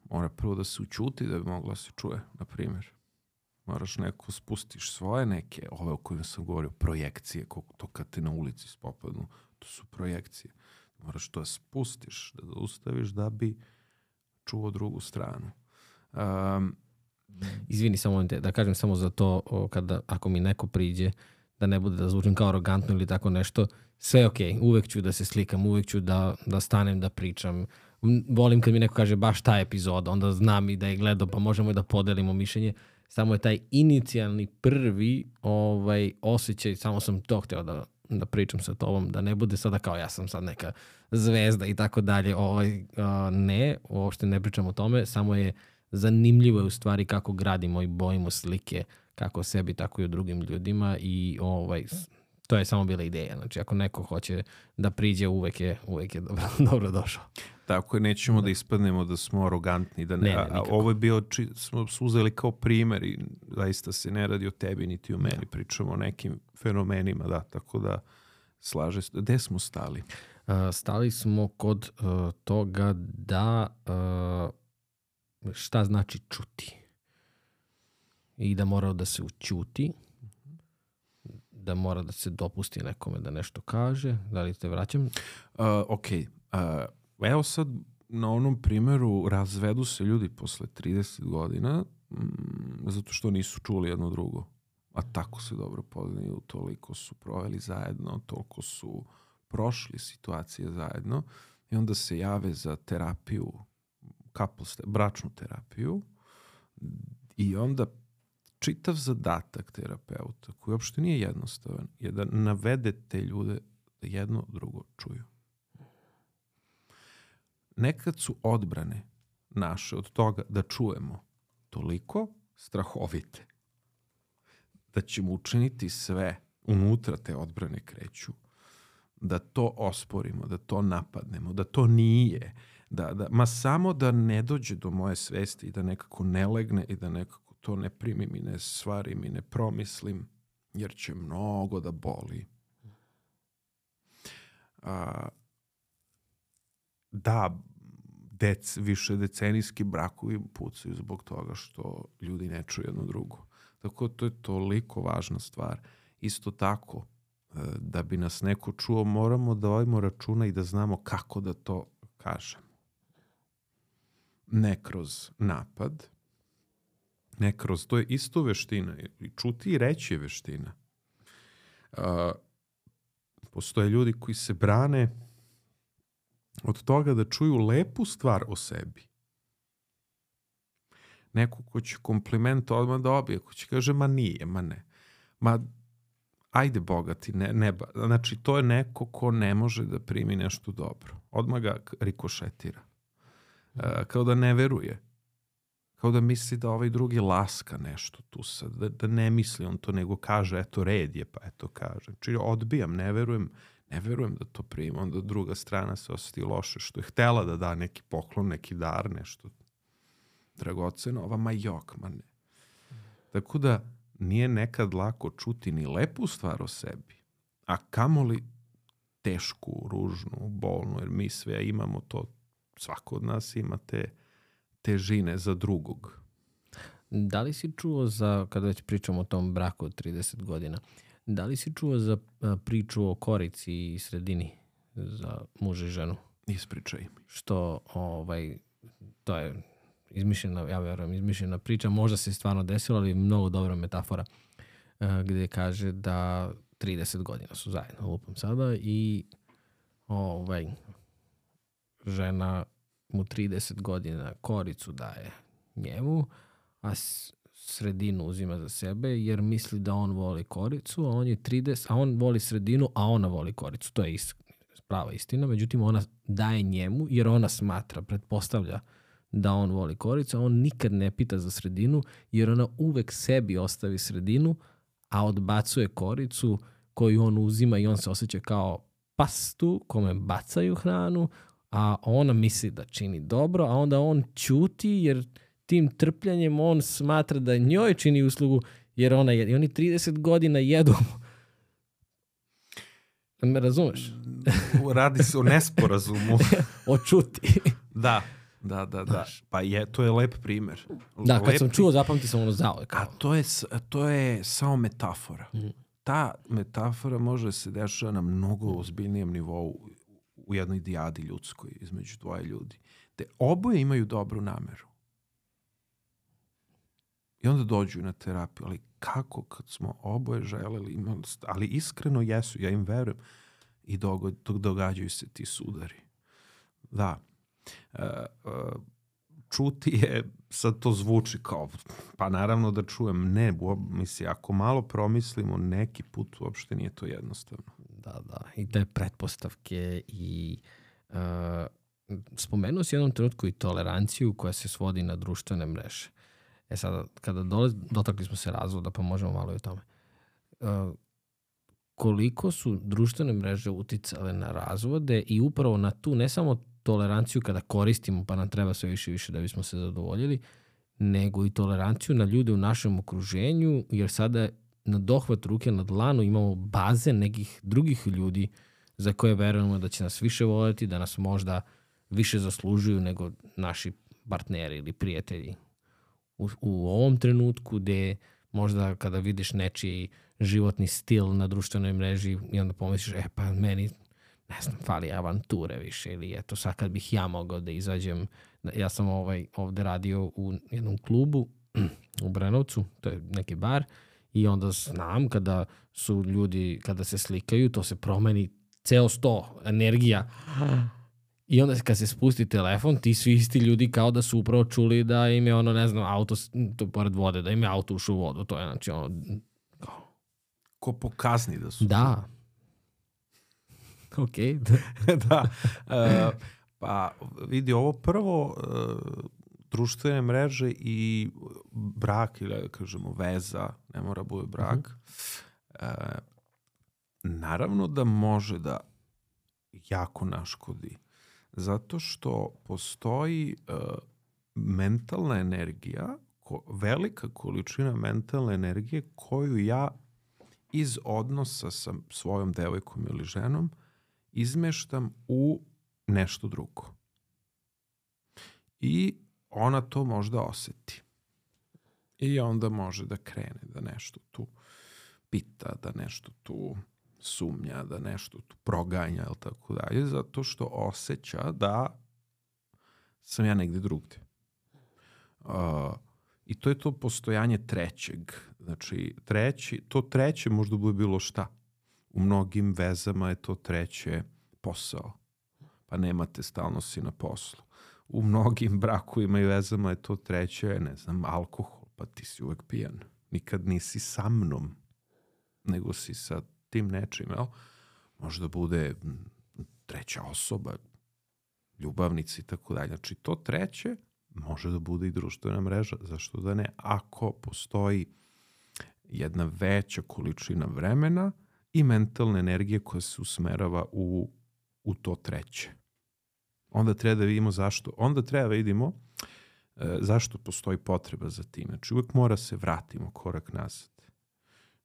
C: Mora prvo da se učuti da bi mogla se čuje, na primjer. Moraš neko spustiš svoje neke, ove o kojima sam govorio, projekcije, to kad te na ulici spopadnu, to su projekcije. Moraš to da spustiš, da ustaviš da bi čuo drugu stranu.
A: Izvini samo da kažem samo za to, ako mi neko priđe da ne bude da zvučim kao arogantno ili tako nešto, sve je okej, uvek ću da se slikam, uvek ću da stanem, da pričam. Volim kad mi neko kaže baš ta epizoda, onda znam i da je gledao, pa možemo i da podelimo mišljenje. Samo je taj inicijalni prvi osjećaj, samo sam to hteo da pričam sa tobom, da ne bude sada kao ja sam sad neka zvezda i tako dalje. Ne, uopšte ne pričam o tome, samo je zanimljivo je u stvari kako gradimo i bojimo slike, kako o sebi, tako i o drugim ljudima i to je samo bila ideja. Znači, ako neko hoće da priđe, uvek je dobro došao.
C: Tako je, nećemo da ispadnemo da smo arogantni. Ovo je bio, smo uzeli kao primer i zaista se ne radi o tebi niti o meni. Pričamo o nekim fenomenima, da, tako da slaže se. Gde smo stali?
A: Stali smo kod toga da šta znači čuti. I da mora da se ućuti, da mora da se dopusti nekome da nešto kaže. Da li te vraćam?
C: Evo sad na onom primjeru razvedu se ljudi posle 30 godina zato što nisu čuli jedno drugo. A tako se dobro poznaju, toliko su proveli zajedno, toliko su prošli situacije zajedno i onda se jave za terapiju, bračnu terapiju i onda čitav zadatak terapeuta, koji uopšte nije jednostavan, je da navede te ljude da jedno drugo čuju. Nekad su odbrane naše od toga da čujemo toliko strahovite da ćemo učiniti sve, unutra te odbrane kreću, da to osporimo, da to napadnemo, da to nije, ma samo da ne dođe do moje svesti i da nekako ne legne i da nekako to ne primim i ne stvarim i ne promislim, jer će mnogo da boli. Da, više decenijski brakovi pucaju zbog toga što ljudi ne čuju jedno drugo. Tako to je toliko važna stvar. Isto tako, da bi nas neko čuo, moramo da vodimo računa i da znamo kako da to kažemo. Ne kroz napad, ne kroz, to je isto veština. I čuti i reći je veština. Postoje ljudi koji se brane od toga da čuju lepu stvar o sebi. Neko ko će kompliment odmah dobije, ko će kaže, ma nije, ma ne. Ma, ajde bogati, ne. Znači, to je neko ko ne može da primi nešto dobro. Odmah ga rikošetira. Kao da ne veruje. Kao da misli da ovaj drugi laska nešto tu sad. Da ne misli on to, nego kaže, eto, red je, pa eto kaže. Znači, odbijam, ne verujem da to prima. Onda druga strana se osjeti loše, što je htela da da neki poklon, neki dar, nešto dragoceno, ova ma jok, ma ne. Tako da nije nekad lako čuti ni lepu stvar o sebi, a kamoli tešku, ružnu, bolnu, jer mi sve imamo to, svako od nas ima te težine za drugog.
A: Da li si čuo kada već pričamo o tom braku od 30 godina, da li si čuo za priču o korici i sredini za muža i ženu?
C: Ispričaj mi.
A: Što, to je izmišljena, ja verujem, izmišljena priča, možda se stvarno desilo, ali mnogo dobra metafora, gdje kaže da 30 godina su zajedno, lupam sada, i žena mu 30 godina koricu daje njemu, a sredinu uzima za sebe, jer misli da on voli koricu, a on je 30, a on voli sredinu, a ona voli koricu. To je prava istina, međutim ona daje njemu, jer ona smatra, pretpostavlja da on voli koricu, a on nikad ne pita za sredinu, jer ona uvek sebi ostavi sredinu, a odbacuje koricu koju on uzima i on se osjeća kao pastu kome bacaju hranu, a ona misli da čini dobro, a onda on ćuti jer tim trpljanjem on smatra da njoj čini uslugu jer ona jede. I oni 30 godina jedu. Me razumeš?
C: Radi se o nesporazumu.
A: O čuti.
C: Da. Pa to je lep primjer.
A: Da, kad sam čuo, zapamti sam ono zauvek.
C: A to je samo metafora. Ta metafora može se dešava na mnogo ozbiljnijem nivou u jednoj dijadi ljudskoj između dvoje ljudi. Te oboje imaju dobru nameru. I onda dođu na terapiju, ali kako kad smo oboje želeli, ali iskreno jesu, ja im verujem i događaju se ti sudari. Da. Čuti je, sad to zvuči kao, pa naravno da čujem, ne, misli, ako malo promislimo, neki put uopšte nije to jednostavno.
A: Da, i te pretpostavke i spomenuo si jednom trenutku i toleranciju koja se svodi na društvene mreže. Sada, kada dotakli smo se razvoda, pa možemo malo i o tome. Koliko su društvene mreže uticale na razvode i upravo na tu, ne samo toleranciju kada koristimo, pa nam treba sve više i više da bismo se zadovoljili, nego i toleranciju na ljude u našem okruženju, jer sada na dohvat ruke na dlanu imamo baze nekih drugih ljudi za koje verujemo da će nas više voljeti, da nas možda više zaslužuju nego naši partneri ili prijatelji. U ovom trenutku gde možda kada vidiš nečiji životni stil na društvenoj mreži i onda pomisliš, pa meni ne znam, fali avanture više ili eto sad kad bih ja mogao da izađem. Ja sam ovde radio u jednom klubu u Brenovcu, to je neki bar, i onda znam kada su ljudi, kada se slikaju, to se promeni ceo 100 energija. I onda kad se spusti telefon, ti svi isti ljudi kao da su upravo čuli da im je ne znam, auto, to pored vode, da im je auto ušao u vodu. To je znači
C: ko pokazni da su.
A: Da. Ok.
C: Da. Pa vidi, ovo prvo društvene mreže i brak ili kažemo veza, ne mora bude brak, naravno da može da jako naškodi. Zato što postoji mentalna energija, velika količina mentalne energije koju ja iz odnosa sa svojom devojkom ili ženom izmeštam u nešto drugo. I ona to možda oseti. I onda može da krene, da nešto tu pita, da nešto tu sumnja, da nešto tu proganja ili tako dalje, zato što osjeća da sam ja negde drugde. I to je to postojanje trećeg. Znači, to treće možda bude bilo šta. U mnogim vezama je to treće posao. Pa nemate, stalno si na poslu. U mnogim brakovima i vezama je to treće, ne znam, alkohol, pa ti si uvek pijan. Nikad nisi sa mnom, nego si sa tim nečim, jel? Možda bude treća osoba, ljubavnici i tako dalje. Znači, to treće može da bude i društvena mreža, zašto da ne? Ako postoji jedna veća količina vremena i mentalne energije koja se usmerava u to treće. Onda treba da vidimo zašto. Onda treba da vidimo zašto postoji potreba za tim. Znači, uvek mora se vratimo korak nazad.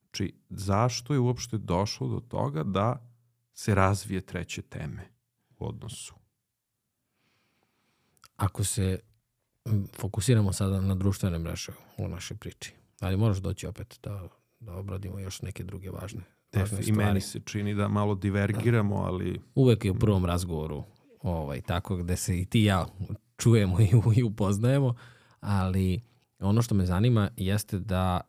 C: Znači, zašto je uopšte došlo do toga da se razvije treće teme u odnosu?
A: Ako se fokusiramo sada na društvene mreže u našoj priči, ali moraš doći opet da obradimo još neke druge važne stvari.
C: I meni se čini da malo divergiramo, ali...
A: Uvek je u prvom razgovoru tako gde se i ti i ja čujemo i upoznajemo, ali ono što me zanima jeste da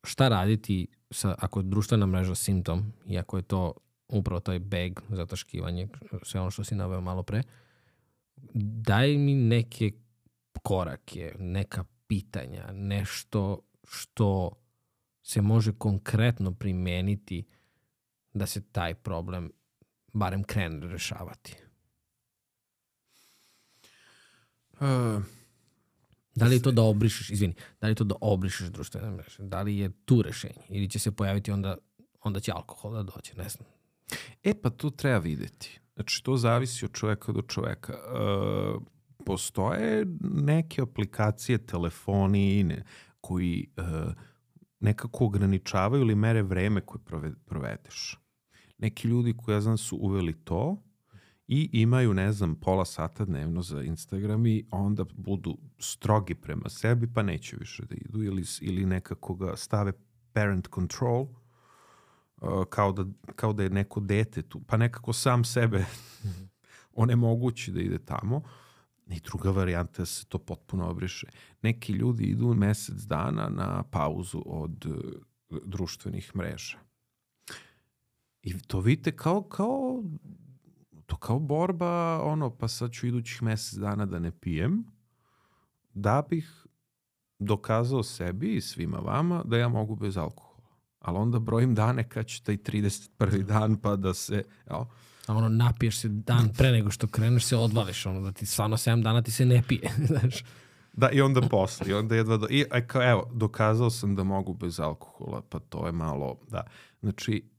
A: šta raditi ako je društvena mreža simptom i ako je to upravo taj beg, zataškivanje, sve ono što si naveo malo pre, daj mi neke korake, neka pitanja, nešto što se može konkretno primeniti da se taj problem barem krene rešavati. Da li je to da obrišeš, društvene mreže? Da li je tu rešenje? Ili će se pojaviti onda će alkohol da dođe, ne znam.
C: Pa tu treba videti. Znači, to zavisi od čoveka do čoveka. Postoje neke aplikacije, telefoni koji nekako ograničavaju ili mere vreme koje provedeš. Neki ljudi koji ja znam su uveli to i imaju, ne znam, pola sata dnevno za Instagram i onda budu strogi prema sebi pa neće više da idu ili nekako ga stave parent control, kao da je neko dete tu, pa nekako sam sebe onemogući da ide tamo. I druga varijanta da se to potpuno obriše. Neki ljudi idu mesec dana na pauzu od društvenih mreža. I to vidite kao borba, pa sad ću idućih mesec dana da ne pijem, da bih dokazao sebi i svima vama da ja mogu bez alkohola. Ali onda brojim dane kad će taj 31. dan pa da se... Ja,
A: a napiješ se dan pre nego što kreneš se odvališ, da ti stvarno 7 dana ti se ne pije, znaš.
C: Da, i onda posle, i onda jedva evo, dokazao sam da mogu bez alkohola, pa to je malo, da. Znači,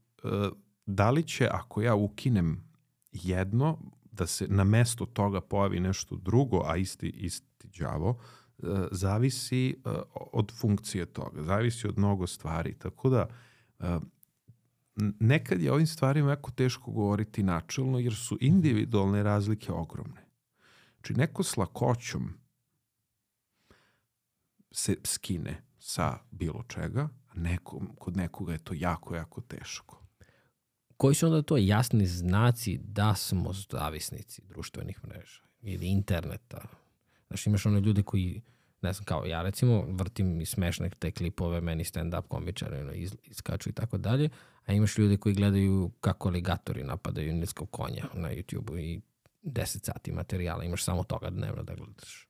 C: da li će, ako ja ukinem jedno, da se na mesto toga pojavi nešto drugo, a isti đavo, zavisi od funkcije toga, zavisi od mnogo stvari, tako da nekad je ovim stvarima jako teško govoriti načelno, jer su individualne razlike ogromne. Znači, neko s lakoćom se skine sa bilo čega, a kod nekoga je to jako, jako teško.
A: Koji su onda to jasni znaci da smo zavisnici društvenih mreža ili interneta? Znaš, imaš one ljudi koji, ne znam, kao ja recimo, vrtim i smešne te klipove, meni stand-up komičari iskaču i tako dalje, a imaš ljudi koji gledaju kako aligatori napadaju nilskog konja na YouTube-u i 10 sati materijala, imaš samo toga dnevno da gledaš.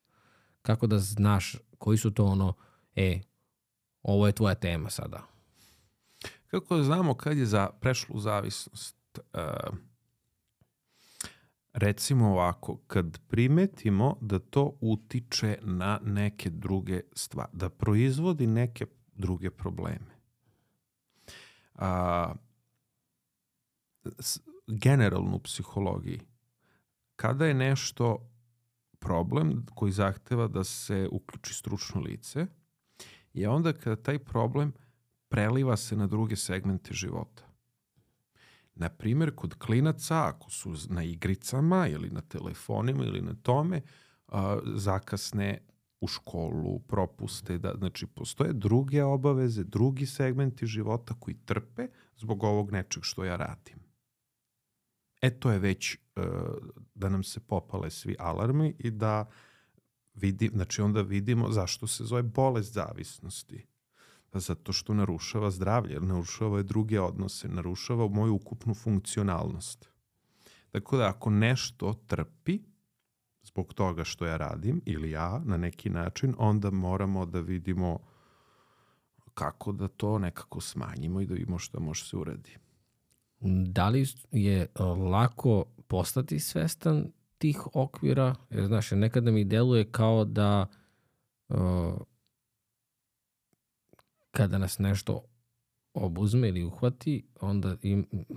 A: Kako da znaš koji su to ovo je tvoja tema sada?
C: Kako da znamo kad je prešlo u zavisnost? Recimo ovako, kad primetimo da to utiče na neke druge stvari, da proizvodi neke druge probleme. Generalno u psihologiji, kada je nešto problem koji zahteva da se uključi stručno lice, je onda kada taj problem preliva se na druge segmente života. Na primjer, kod klinaca, ako su na igricama ili na telefonima ili na tome, zakasne u školu, propuste, znači postoje druge obaveze, drugi segmenti života koji trpe zbog ovog nečeg što ja radim. To je već da nam se popale svi alarmi i da znači onda vidimo zašto se zove bolest zavisnosti. Zato što narušava zdravlje, narušava druge odnose, narušava moju ukupnu funkcionalnost. Tako da ako nešto trpi zbog toga što ja radim ili ja na neki način, onda moramo da vidimo kako da to nekako smanjimo i da vidimo šta može se uradi.
A: Da li je lako postati svestan tih okvira? Jer, znaš, nekada mi deluje kao da kada nas nešto obuzme ili uhvati, onda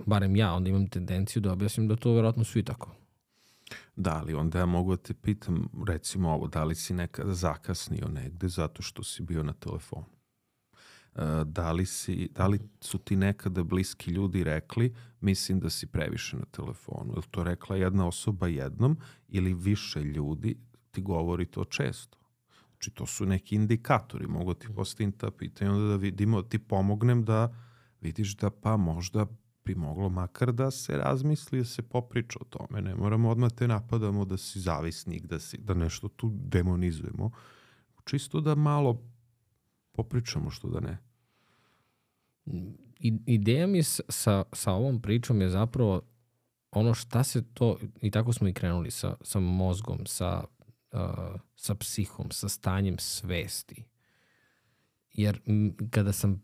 A: barem ja, onda imam tendenciju da objasnim da to vjerojatno svi tako.
C: Da, ali onda ja mogu da te pitam, recimo ovo, da li si nekada zakasnio negde zato što si bio na telefonu? Da li su ti nekada bliski ljudi rekli, mislim da si previše na telefonu? Je li to rekla jedna osoba jednom ili više ljudi ti govori to često? Znači, to su neki indikatori, mogu ti postaviti ta pitanja, onda da vidimo, ti pomognem da vidiš da pa možda bi moglo makar da se razmisli, da se popriča o tome. Ne moramo odmah te napadamo da si zavisnik, da nešto tu demonizujemo. Čisto da malo popričamo, što da ne.
A: Ideja mi sa ovom pričom je zapravo ono šta se to, i tako smo i krenuli sa mozgom, sa psihom, sa stanjem svesti. Jer kada sam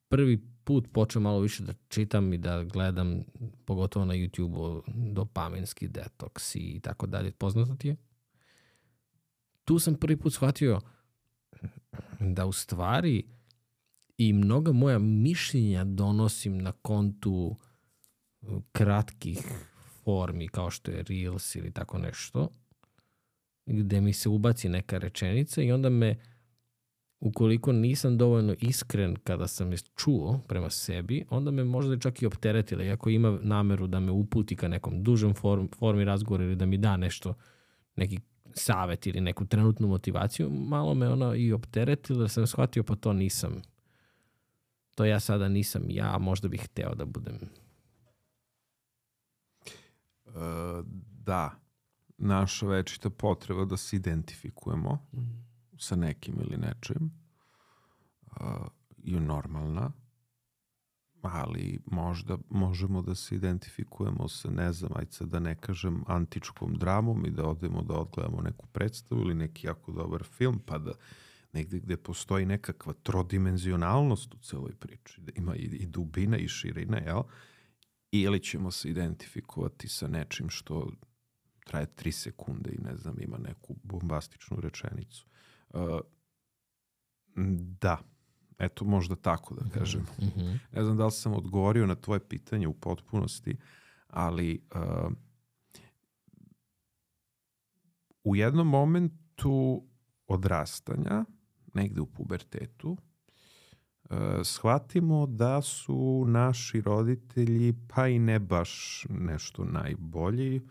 A: prvi put počeo malo više da čitam i da gledam, pogotovo na YouTube-u, dopaminski detoks i tako dalje, poznato ti je? Tu sam prvi put shvatio da u stvari i mnoga moja mišljenja donosim na kontu kratkih formi kao što je Reels ili tako nešto, gde mi se ubaci neka rečenica i onda me, ukoliko nisam dovoljno iskren kada sam je čuo prema sebi, onda me možda čak i opteretila. Iako ima nameru da me uputi ka nekom dužem formi razgovora ili da mi da nešto, neki savet ili neku trenutnu motivaciju, malo me ona i opteretila da sam shvatio pa to nisam. To ja sada nisam ja, možda bih hteo da budem.
C: Da. naša večita potreba da se identifikujemo sa nekim ili nečim je normalna, ali možda možemo da se identifikujemo sa, ne znam, ajde sad da ne kažem antičkom dramom i da odemo da odgledamo neku predstavu ili neki jako dobar film, pa da negde gde postoji nekakva trodimenzionalnost u celoj priči, da ima i dubina i širina, jel? Ili ćemo se identifikovati sa nečim što traje 3 sekunde i ne znam, ima neku bombastičnu rečenicu. Da, eto možda tako da kažem. Ne znam da li sam odgovorio na tvoje pitanje u potpunosti, ali u jednom momentu odrastanja, negde u pubertetu, shvatimo da su naši roditelji pa i ne baš nešto najbolji.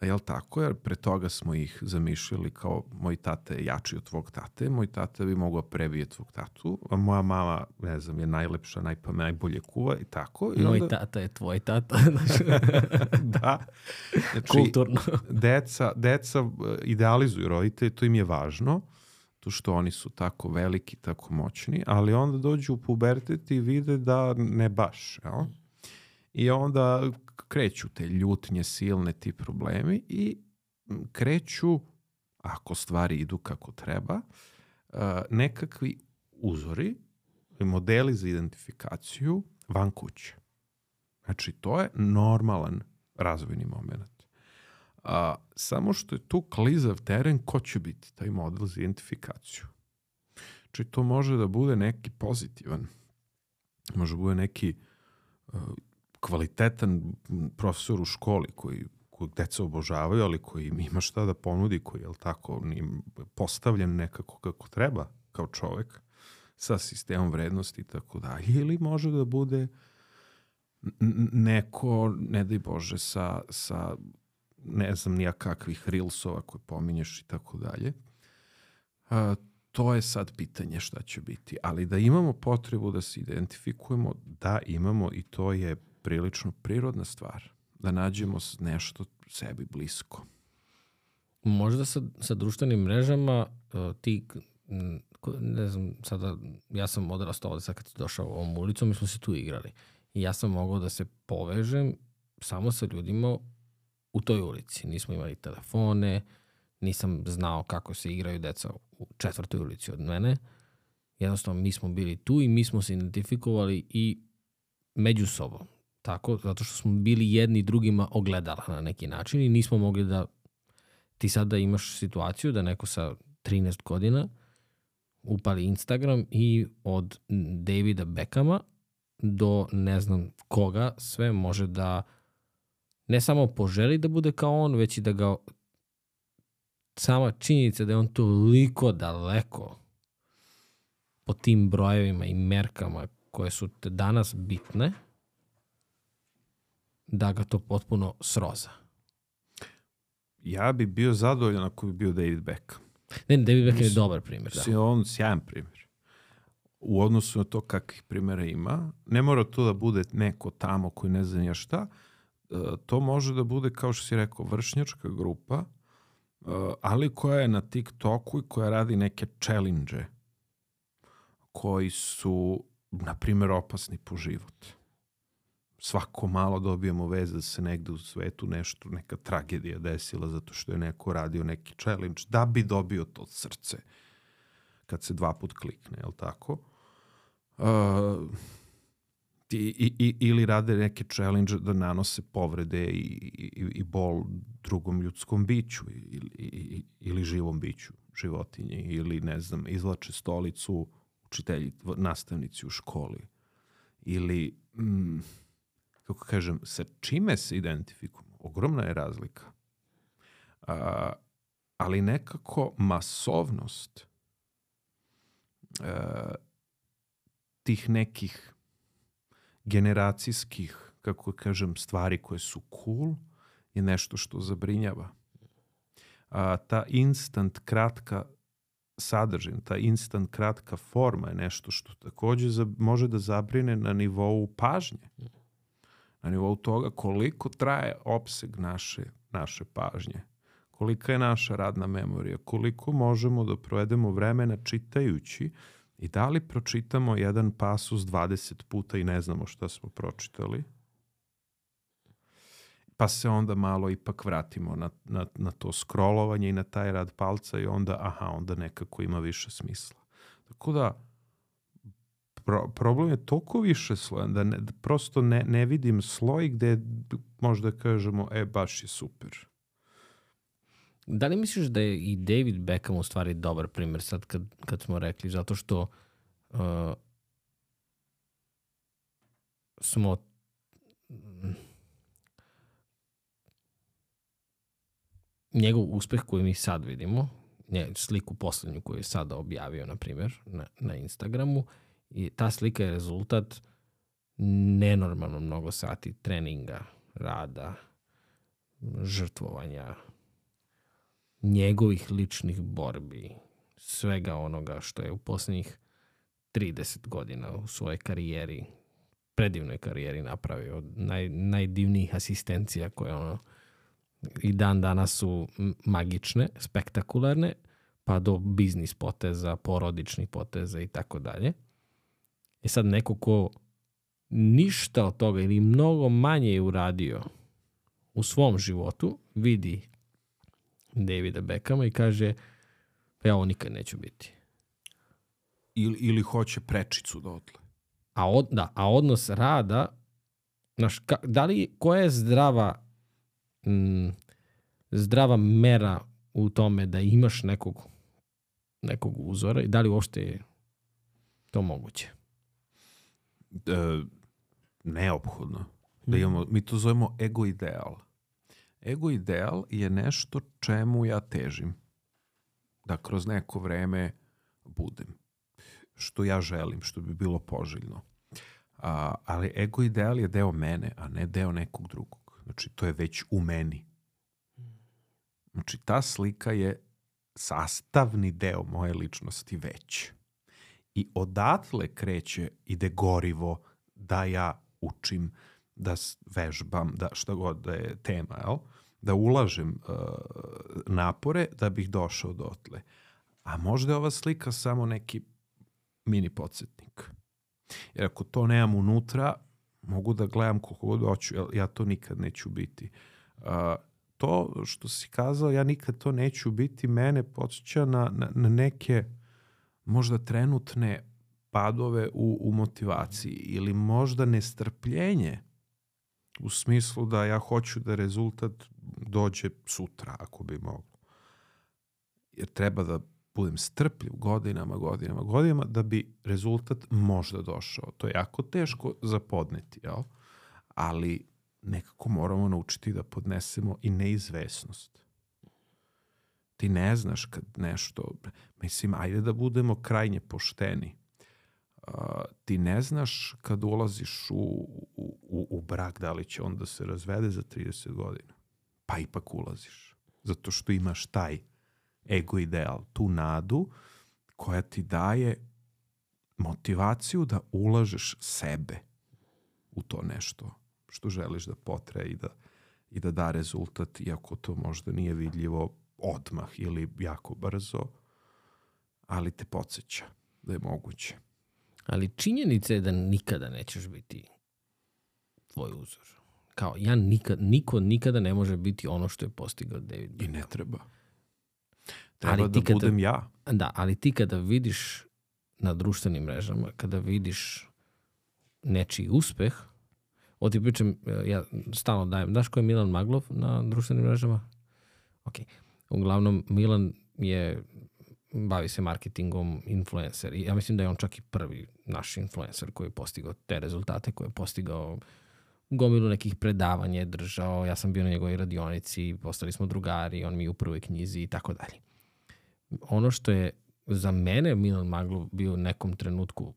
C: Jel tako? Jer pre toga smo ih zamišljali kao moj tata je jači od tvog tate, moj tata bi mogao prebije tvog tatu, a moja mama, ne znam, je najlepša, najbolje kuva i tako. I
A: moj
C: onda...
A: tata je tvoj tata.
C: Da. Znači,
A: kulturno.
C: Deca idealizuju roditelje, to im je važno, to što oni su tako veliki, tako moćni, ali onda dođu u pubertet i vide da ne baš, jel? I onda kreću te ljutnje silne, ti problemi i kreću, ako stvari idu kako treba, nekakvi uzori i modeli za identifikaciju van kuće. Znači, to je normalan razvojni moment. Samo što je tu klizav teren, ko će biti taj model za identifikaciju? Znači, to može da bude neki pozitivan, može da bude neki kvalitetan profesor u školi koji deca obožavaju, ali koji im ima šta da ponudi, koji je tako postavljen nekako kako treba kao čovek sa sistemom vrednosti i tako dalje. Ili može da bude neko, ne daj Bože, sa ne znam nija kakvih rilsova koje pominješ i tako dalje. To je sad pitanje šta će biti. Ali da imamo potrebu da se identifikujemo, da imamo, i to je prilično prirodna stvar. Da nađemo nešto sebi blisko.
A: Možda sa društvenim mrežama ti, ne znam, sada ja sam odrastao ovde sad kad si došao ovom ulicom, mi smo se tu igrali. I ja sam mogao da se povežem samo sa ljudima u toj ulici. Nismo imali telefone, nisam znao kako se igraju deca u 4. ulici od mene. Jednostavno, mi smo bili tu i mi smo se identifikovali i među sobom. Tako, zato što smo bili jedni drugima ogledala na neki način i nismo mogli da... Ti sada imaš situaciju da neko sa 13 godina upali Instagram i od Davida Beckhama do ne znam koga sve može da ne samo poželi da bude kao on, već i da ga sama činjenica da je on toliko daleko po tim brojevima i merkama koje su te danas bitne, da ga to potpuno sroza.
C: Ja bi bio zadovoljan ako bi bio David Beckham.
A: Ne, David Beckham je dobar primjer. Da.
C: On sjajan primjer. U odnosu na to kakvih primjera ima, ne mora to da bude neko tamo koji ne zna šta, to može da bude, kao što si rekao, vršnjačka grupa, ali koja je na TikToku i koja radi neke challenge koji su, na primjer, opasni po život. Svako malo dobijemo vez da se negde u svetu nešto, neka tragedija desila zato što je neko radio neki challenge da bi dobio to srce kad se 2 put klikne, je li tako? Ili rade neke challenge da nanose povrede i bol drugom ljudskom biću ili živom biću, životinji, ili ne znam, izvlače stolicu učitelji, nastavnici u školi. Ili, kako kažem, sa čime se identifikujemo? Ogromna je razlika. Ali nekako masovnost tih nekih generacijskih, kako kažem, stvari koje su cool je nešto što zabrinjava. Ta instant kratka sadržina, ta instant kratka forma je nešto što takođe može da zabrine na nivou pažnje. na nivou toga koliko traje opseg naše pažnje, kolika je naša radna memorija, koliko možemo da provedemo vremena čitajući i da li pročitamo jedan pasus 20 puta i ne znamo šta smo pročitali, pa se onda malo ipak vratimo na to scrollovanje i na taj rad palca i onda nekako ima više smisla. Tako da problem je toliko više slojan da prosto ne vidim sloj gde možda kažemo baš je super.
A: Da li misliš da je i David Beckham u stvari dobar primjer sad kad smo rekli, zato što smo njegov uspeh koji mi sad vidimo, sliku poslednju koju je sada objavio, na primjer, na Instagramu, i ta slika je rezultat nenormalno mnogo sati treninga, rada, žrtvovanja, njegovih ličnih borbi, svega onoga što je u poslednjih 30 godina u svojoj karijeri, predivnoj karijeri napravio. Od najdivnijih asistencija koje i dan danas su magične, spektakularne, pa do biznis poteza, porodičnih poteza i tako dalje. I sad neko ko ništa od toga ili mnogo manje je uradio u svom životu, vidi Davida Beckhama i kaže ja ovo nikad neću biti.
C: Ili hoće prečicu dotle.
A: A odnos rada, koja je zdrava mera u tome da imaš nekog uzora i da li uopšte je to moguće?
C: Neophodno. Da imamo, mi to zovemo ego ideal. Ego ideal je nešto čemu ja težim. Da kroz neko vreme budem. Što ja želim, što bi bilo poželjno. Ali ego ideal je deo mene, a ne deo nekog drugog. Znači, to je već u meni. Znači, ta slika je sastavni deo moje ličnosti već. I odatle ide gorivo da ja učim, da vežbam, da šta god da je tema, da ulažem napore da bih došao dotle. A možda je ova slika samo neki mini podsjetnik. Jer ako to nemam unutra, mogu da gledam koliko god hoću, ja to nikad neću biti. To što si kazao, ja nikad to neću biti, mene podsjeća na neke možda trenutne padove u motivaciji ili možda nestrpljenje u smislu da ja hoću da rezultat dođe sutra ako bi moglo. Jer treba da budem strpljiv godinama da bi rezultat možda došao. To je jako teško za podneti, jel? Ali nekako moramo naučiti da podnesemo i neizvesnost. Ti ne znaš kad nešto, mislim, ajde da budemo krajnje pošteni. Ti ne znaš kad ulaziš u brak da li će on da se razvede za 30 godina. Pa ipak ulaziš. Zato što imaš taj ego ideal, tu nadu koja ti daje motivaciju da ulažeš sebe u to nešto što želiš da potraje i da da rezultat, iako to možda nije vidljivo odmah ili jako brzo, ali te podsjeća da je moguće.
A: Ali činjenica je da nikada nećeš biti tvoj uzor. Kao niko nikada ne može biti ono što je postigao David Beckham.
C: I ne treba. Treba da budem ja.
A: Da, ali ti kada vidiš na društvenim mrežama, kada vidiš nečiji uspeh, o ti pričam, ja stalno dajem, znaš ko je Milan Maglov na društvenim mrežama? Ok. Uglavnom, Milan bavi se marketingom, influencer. I ja mislim da je on čak i prvi naš influencer koji je postigao te rezultate, koji je postigao gomilu nekih predavanja, držao. Ja sam bio na njegovoj radionici, postali smo drugari, on mi je u prvoj knjizi i tako dalje. Ono što je za mene Milan Maglov bio u nekom trenutku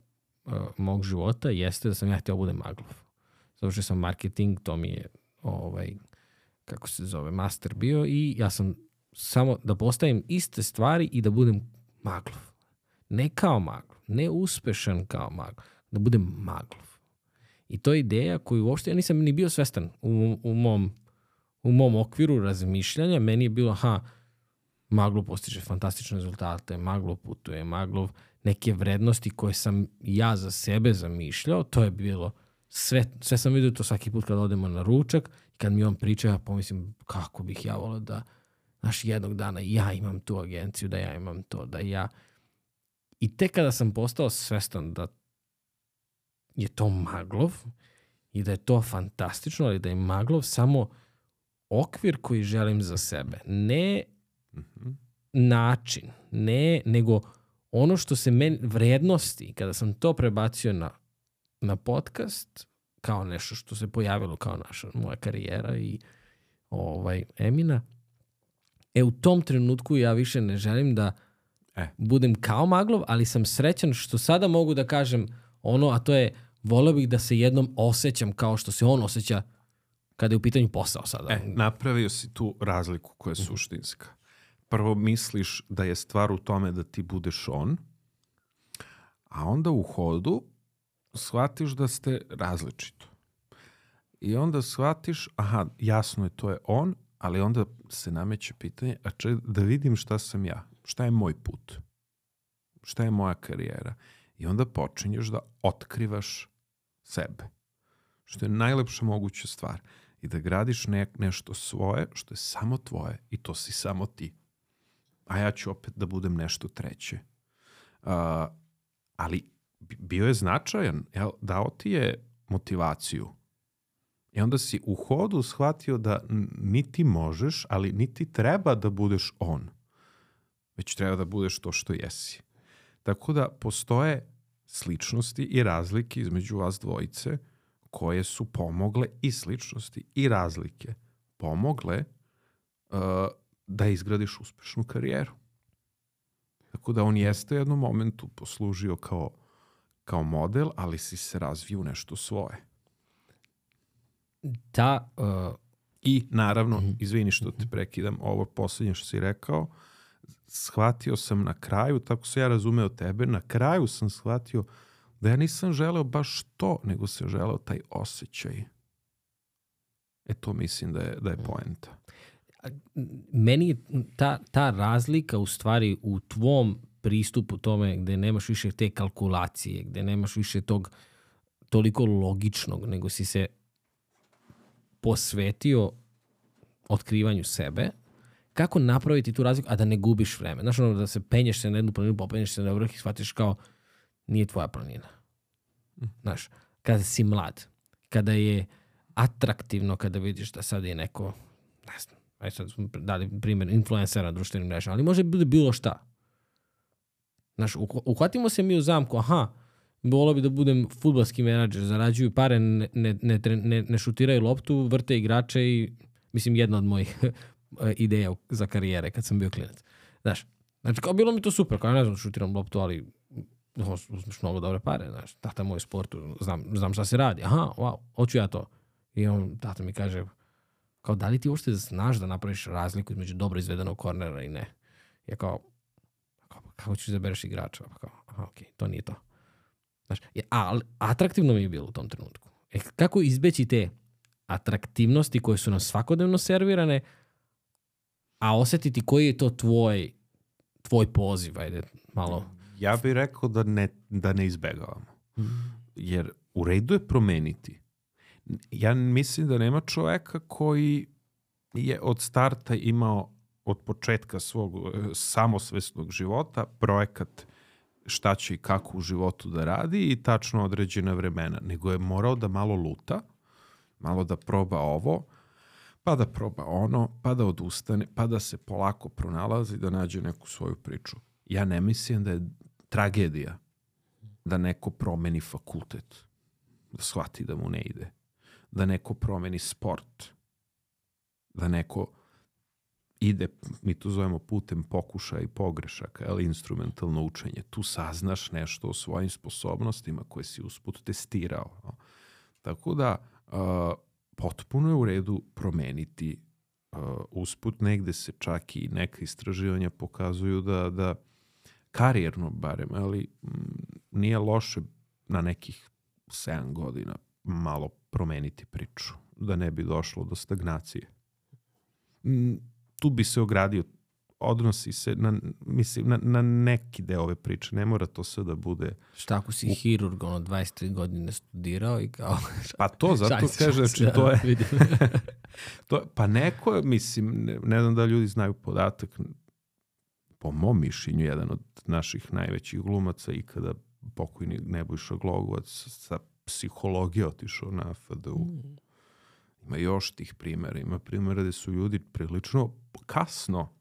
A: mog života jeste da sam ja htio budem Maglov. Zato što sam marketing, to mi je kako se zove, master bio i ja sam samo da postavim iste stvari i da budem Maglov. Ne kao Maglov, ne uspešan kao Maglov, da budem Maglov. I to je ideja koju uopšte ja nisam ni bio svestan u mom okviru razmišljanja. Meni je bilo, Maglov postiže fantastične rezultate, Maglov putuje, Maglov neke vrednosti koje sam ja za sebe zamišljao, to je bilo sve sam vidio to svaki put kad odemo na ručak i kad mi on priča, ja pomislim kako bih ja volio da jednog dana ja imam tu agenciju, da ja imam to, da ja... I tek kada sam postao svestan da je to Maglov i da je to fantastično, ali da je Maglov samo okvir koji želim za sebe. Ne način, nego ono što se meni vrednosti, kada sam to prebacio na podcast, kao nešto što se pojavilo kao moja karijera i Emina, u tom trenutku ja više ne želim da budem kao Maglov, ali sam srećan što sada mogu da kažem a to je, voleo bih da se jednom osjećam kao što se on osjeća kada je u pitanju posao sada.
C: Napravio si tu razliku koja je suštinska. Prvo misliš da je stvar u tome da ti budeš on, a onda u hodu shvatiš da ste različito. I onda shvatiš, jasno je, to je on, ali onda se nameće pitanje, da vidim šta sam ja, šta je moj put, šta je moja karijera. I onda počinješ da otkrivaš sebe, što je najlepša moguća stvar. I da gradiš nešto svoje, što je samo tvoje i to si samo ti. A ja ću opet da budem nešto treće. Ali bio je značajan, dao ti je motivaciju. I onda si u hodu shvatio da niti možeš, ali niti treba da budeš on. Već treba da budeš to što jesi. Tako da postoje sličnosti i razlike između vas dvojice koje su pomogle i sličnosti i razlike pomogle da izgradiš uspešnu karijeru. Tako da on jeste u jednom momentu poslužio kao model, ali si se razvio u nešto svoje. I naravno, izvini što te prekidam, ovo posljednje što si rekao, shvatio sam na kraju, tako se ja razumeo tebe, na kraju sam shvatio da ja nisam želeo baš to, nego sam želeo taj osjećaj. To mislim da je poenta.
A: Meni je ta razlika u stvari u tvom pristupu tome gde nemaš više te kalkulacije, gde nemaš više tog toliko logičnog, nego si se posvetio otkrivanju sebe, kako napraviti tu razliku, a da ne gubiš vreme. Znaš, da se penješ se na jednu planinu, popenješ se na vrh i shvatiš kao nije tvoja planina. Znaš, kada si mlad, kada je atraktivno, kada vidiš da sad je neko, ne znam, sad smo dali primjer influencera na društvenim mrežama, ali može bude bilo šta. Znaš, uhvatimo se mi u zamku, volio bi da budem fudbalski menadžer, zarađuju pare, ne šutiraju loptu, vrte igrače i, mislim, jedna od mojih ideja za karijere kad sam bio klinac. Znaš, kao bilo mi to super, kao ja ne znam šutiram loptu, ali uzmeš mnogo dobre pare, znaš, tata moj sportu, znam šta se radi, wow, hoću ja to. I tata mi kaže, kao da li ti uopšte znaš da napraviš razliku između dobro izvedenog kornera i ne? Ja kao kako ćeš izabereš igrača? Okej, to nije to. Znaš, ali atraktivno mi je bilo u tom trenutku. Kako izbeći te atraktivnosti koje su nam svakodnevno servirane, a osjetiti koji je to tvoj poziv, ajde, malo.
C: Ja bih rekao da ne izbegavamo. Jer u redu je promeniti. Ja mislim da nema čoveka koji je od starta imao od početka svog samosvesnog života projekat šta će i kako u životu da radi i tačno određena vremena. Nego je morao da malo luta, malo da proba ovo, pa da proba ono, pa da odustane, pa da se polako pronalazi, da nađe neku svoju priču. Ja ne mislim da je tragedija da neko promeni fakultet, da shvati da mu ne ide, da neko promeni sport, da neko ide, mi to zovemo putem pokušaja i pogrešaka, ali instrumentalno učenje. Tu saznaš nešto o svojim sposobnostima koje si usput testirao. Tako da potpuno je u redu promeniti usput. Negde se čak i neka istraživanja pokazuju da karijerno barem, ali nije loše na nekih 7 godina malo promeniti priču, da ne bi došlo do stagnacije. Tu bi se ogradio, odnosi se na neki deo ove priče. Ne mora to sve da bude...
A: Šta ako si hirurg, 23 godine studirao i kao...
C: Pa to, zato kaže, znači to je... Pa neko, mislim, ne znam da ljudi znaju podatak, po mom mišljenju, jedan od naših najvećih glumaca ikada, pokojni Nebojša Glogovac, sa psihologije otišao na FDU. Ima još tih primjera. Ima primjera gde su ljudi prilično kasno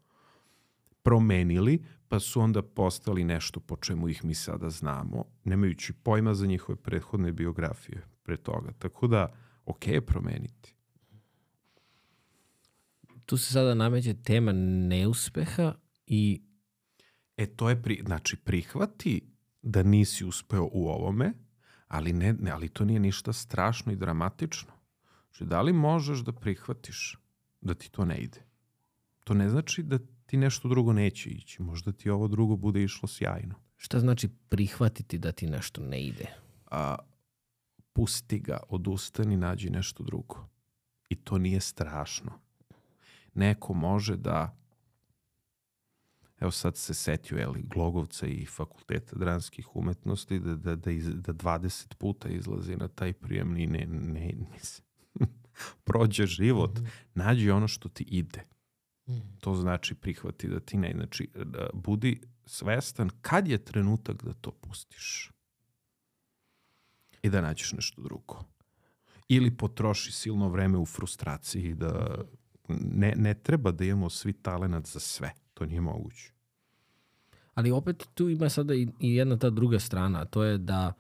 C: promenili, pa su onda postali nešto po čemu ih mi sada znamo, nemajući pojma za njihove prethodne biografije pre toga. Tako da, ok je promeniti.
A: Tu se sada nameće tema neuspeha i...
C: To je, znači, prihvati da nisi uspeo u ovome, ali to nije ništa strašno i dramatično. Znači, da li možeš da prihvatiš da ti to ne ide? To ne znači da ti nešto drugo neće ići. Možda ti ovo drugo bude išlo sjajno.
A: Šta znači prihvatiti da ti nešto ne ide?
C: Pusti ga, odustani, nađi nešto drugo. I to nije strašno. Neko može da... Evo sad se setio Glogovca i Fakulteta dramskih umetnosti da 20 puta izlazi na taj prijemni ne prođe život. Nađi ono što ti ide. To znači prihvati da ti ne. Znači, budi svestan kad je trenutak da to pustiš. I da nađeš nešto drugo. Ili potroši silno vreme u frustraciji da ne treba da imamo svi talenat za sve. To nije moguće.
A: Ali opet tu ima sada i jedna ta druga strana, a to je da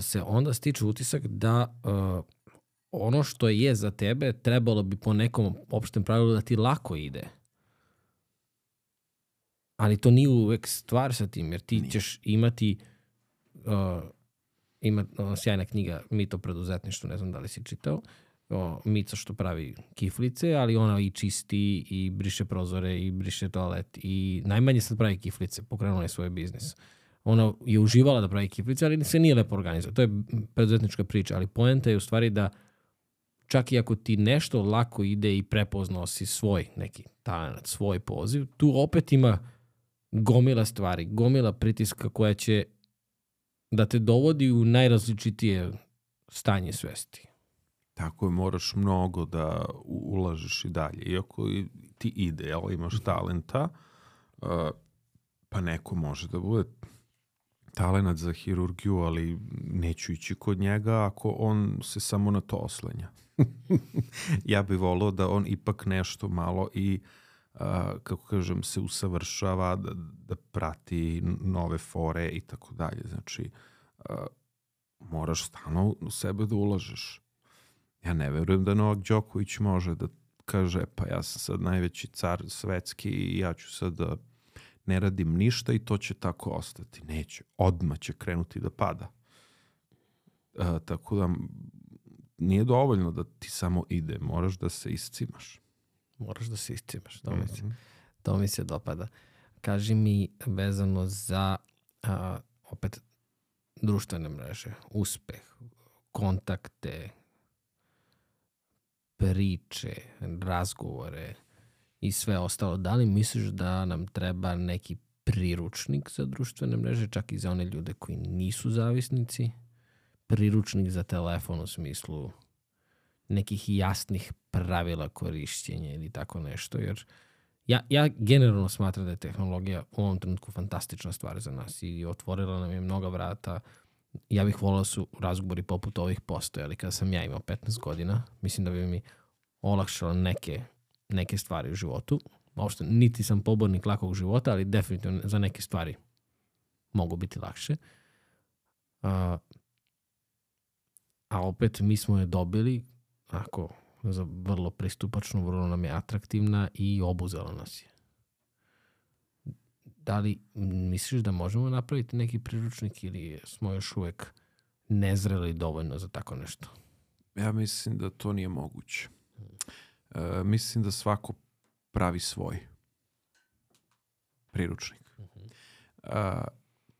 A: se onda stiče utisak da ono što je za tebe trebalo bi po nekom opštem pravilu da ti lako ide. Ali to nije uvek stvar sa tim, jer ti ćeš imati sjajna knjiga Mit o preduzetništvu, ne znam da li si čitao, Mica što pravi kiflice, ali ona i čisti i briše prozore i briše toalet i najmanje sad pravi kiflice, pokrenula je svoj biznis. Ona je uživala da pravi kiflice, ali se nije lepo organizovao. To je preduzetnička priča, ali poenta je u stvari da čak i ako ti nešto lako ide i prepoznao si svoj neki talent, svoj poziv, tu opet ima gomila stvari, gomila pritiska koja će da te dovodi u najrazličitije stanje svesti.
C: Tako je, moraš mnogo da ulažeš i dalje. Iako ti ide, imaš talenta, pa neko može da bude talenat za hirurgiju, ali neću ići kod njega ako on se samo na to oslenja. Ja bih volao da on ipak nešto malo i, kako kažem, se usavršava, da prati nove fore i tako dalje. Znači, moraš stalno u sebe da ulažeš. Ja ne verujem da Novak Đoković može da kaže, pa ja sam sad najveći car svetski i ja ću sad da ne radim ništa i to će tako ostati. Neće. Odmah će krenuti da pada. Tako da nije dovoljno da ti samo ide. Moraš da se iscimaš.
A: Moraš da se iscimaš. To mi se dopada. Kaži mi vezano za opet društvene mreže, uspeh, kontakte, priče, razgovore i sve ostalo. Da li misliš da nam treba neki priručnik za društvene mreže, čak i za one ljude koji nisu zavisnici? Priručnik za telefon u smislu nekih jasnih pravila korišćenja ili tako nešto, jer ja generalno smatram da je tehnologija u ovom trenutku fantastična stvar za nas i otvorila nam je mnoga vrata. Ja bih volao su razgovori poput ovih postojali kada sam ja imao 15 godina. Mislim da bi mi olakšalo neke stvari u životu. Uopšte, niti sam pobornik lakog života, ali definitivno za neke stvari mogu biti lakše. A opet mi smo je dobili za vrlo pristupačnu, vrlo nam je atraktivna i obuzela nas je. Da li misliš da možemo napraviti neki priručnik ili smo još uvek nezreli dovoljno za tako nešto?
C: Ja mislim da to nije moguće. Mislim da svako pravi svoj priručnik.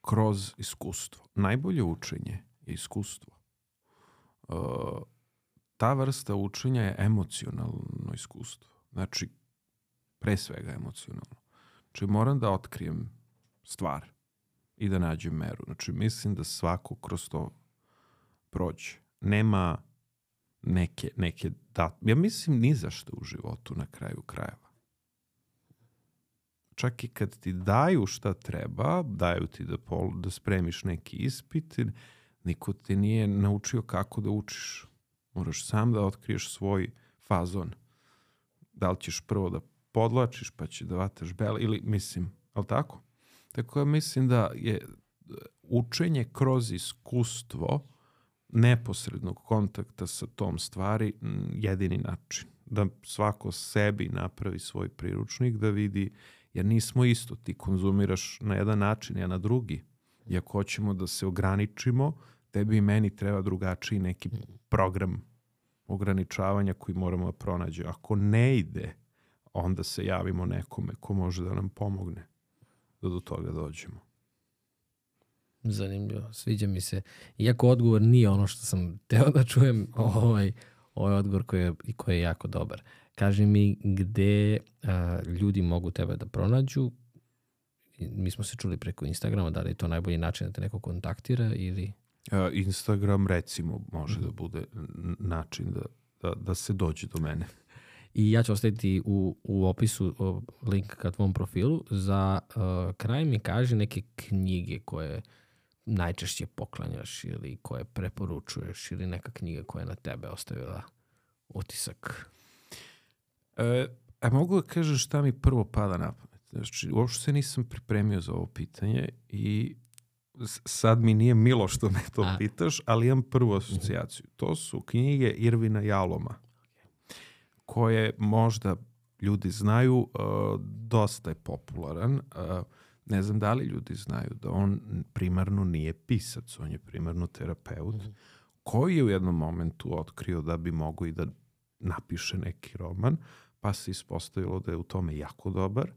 C: Kroz iskustvo. Najbolje učenje je iskustvo. ta vrsta učenja je emocionalno iskustvo. Znači, pre svega emocionalno. Znači, moram da otkrijem stvar i da nađem meru. Znači, mislim da svako kroz to prođe. Nema neke ja mislim ni za što u životu na kraju krajeva. Čak i kad ti daju šta treba, daju ti da spremiš neki ispit, niko te nije naučio kako da učiš. Moraš sam da otkriješ svoj fazon. Da li ćeš prvo da podlačiš, pa će da vataš bel, ili mislim, ali tako? Tako ja mislim da je učenje kroz iskustvo neposrednog kontakta sa tom stvari jedini način. Da svako sebi napravi svoj priručnik, da vidi, jer nismo isto, ti konzumiraš na jedan način, ja na drugi. I ako hoćemo da se ograničimo, tebi i meni treba drugačiji neki program ograničavanja koji moramo da pronađemo. Ako ne ide, onda se javimo nekome ko može da nam pomogne da do toga dođemo.
A: Zanimljivo, sviđa mi se. Iako odgovor nije ono što sam teo da čujem, ovaj odgovor koji je jako dobar. Kaži mi gde ljudi mogu tebe da pronađu. Mi smo se čuli preko Instagrama, da li je to najbolji način da te neko kontaktira ili...
C: Instagram recimo može da bude način da se dođe do mene.
A: I ja ću ostaviti u opisu link ka tvom profilu. Za kraj mi kaži neke knjige koje najčešće poklanjaš ili koje preporučuješ ili neka knjiga koja je na tebe ostavila utisak.
C: Mogu da kažem šta mi prvo pada na pamet. Znači, uopšte se nisam pripremio za ovo pitanje i sad mi nije milo što me to pitaš, ali imam prvu asocijaciju. To su knjige Irvina Jaloma, koje možda ljudi znaju, dosta je popularan. Ne znam da li ljudi znaju da on primarno nije pisac, on je primarno terapeut, koji je u jednom momentu otkrio da bi mogao i da napiše neki roman, pa se ispostavilo da je u tome jako dobar,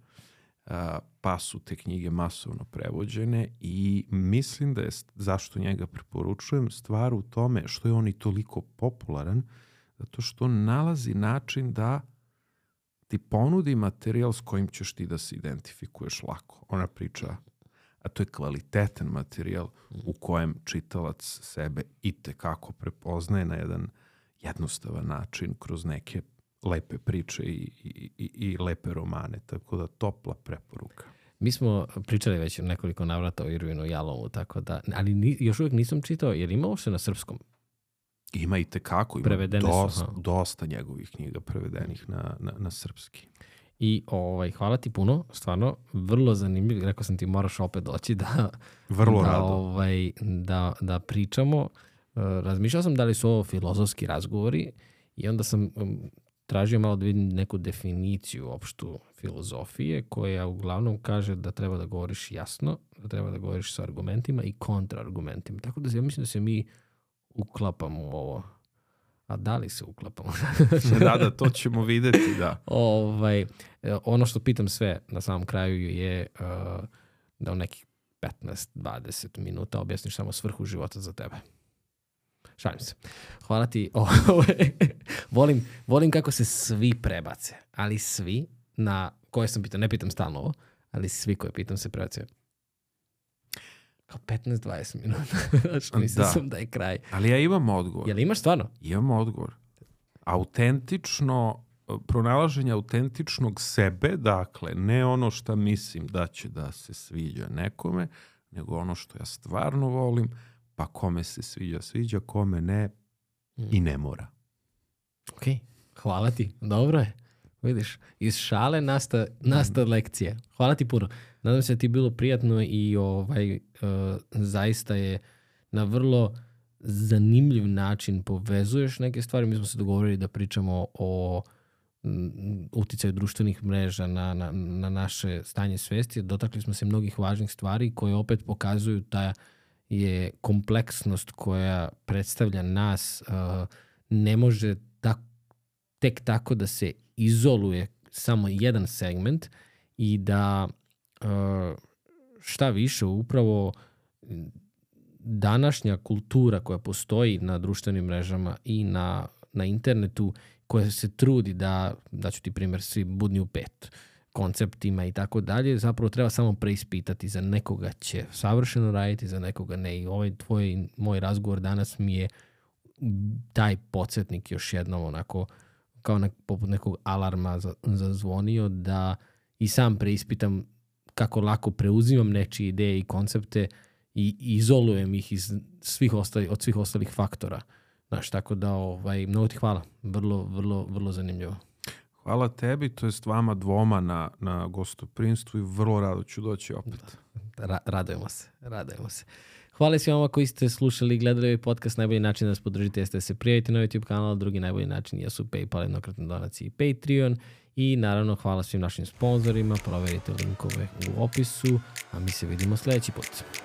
C: pa su te knjige masovno prevođene i mislim da je, zašto njega preporučujem, stvar u tome što je on i toliko popularan, zato što on nalazi način da ti ponudi materijal s kojim ćeš ti da se identifikuješ lako. Ona priča, a to je kvalitetan materijal u kojem čitalac sebe itekako prepoznaje na jedan jednostavan način kroz neke lepe priče i lepe romane. Tako da topla preporuka.
A: Mi smo pričali već nekoliko navrata o Irvinu Jalomu, tako da, ali još uvijek nisam čitao, jer ima uopšte na srpskom?
C: Ima i tekako, ima dosta njegovih knjiga prevedenih na srpski.
A: I hvala ti puno, stvarno, vrlo zanimljivo. Rekao sam ti, moraš opet doći da pričamo. Razmišljao sam da li su ovo filozofski razgovori i onda sam tražio malo da vidim neku definiciju opštu filozofije koja uglavnom kaže da treba da govoriš jasno, da treba da govoriš sa argumentima i kontraargumentima. Tako da ja mislim da se mi uklapamo u ovo. A da li se uklapamo?
C: Da, to ćemo vidjeti, da.
A: Ono što pitam sve na samom kraju je da u nekih 15-20 minuta objasniš samo svrhu života za tebe. Šalim se. Hvala ti. Volim kako se svi prebace, ali svi na koje sam pitao, ne pitam stalno ovo, ali svi koje pitam se prebace kao 15-20 minuta. Znači, mislim sam da je kraj.
C: Ali ja imam odgovor.
A: Jel imaš stvarno?
C: Imam odgovor. Pronalaženje autentičnog sebe, dakle, ne ono što mislim da će da se sviđa nekome, nego ono što ja stvarno volim, pa kome se sviđa, kome ne i ne mora.
A: Ok, hvala ti. Dobro je. Vidiš, iz šale nasta lekcije. Hvala ti puno. Nadam se da ti je bilo prijatno i zaista je na vrlo zanimljiv način povezuješ neke stvari. Mi smo se dogovorili da pričamo o uticaju društvenih mreža na naše stanje svesti. Dotakli smo se mnogih važnih stvari koje opet pokazuju da je kompleksnost koja predstavlja nas ne može tek tako da se izoluje samo jedan segment i da šta više upravo današnja kultura koja postoji na društvenim mrežama i na internetu, koja se trudi da ću ti primjer, svi budni u 5 konceptima i tako dalje, zapravo treba samo preispitati. Za nekoga će savršeno raditi, za nekoga ne. I ovaj moj razgovor danas mi je taj podsjetnik još jednom onako kao poput nekog alarma zazvonio da i sam preispitam kako lako preuzimam nečije ideje i koncepte i izolujem ih od svih ostalih faktora. Znaš, tako da mnogo ti hvala. Vrlo, vrlo, vrlo zanimljivo.
C: Hvala tebi, to jest vama dvoma na gostoprimstvu i vrlo rado ću doći opet.
A: Radujemo se. Hvala svima koji ste slušali i gledali ovaj podcast. Najbolji način da nas podržite jeste da se prijavite na YouTube kanal. Drugi najbolji način jesu PayPal, jednokratne donacije i Patreon. I naravno hvala svim našim sponzorima. Proverite linkove u opisu. A mi se vidimo sljedeći put.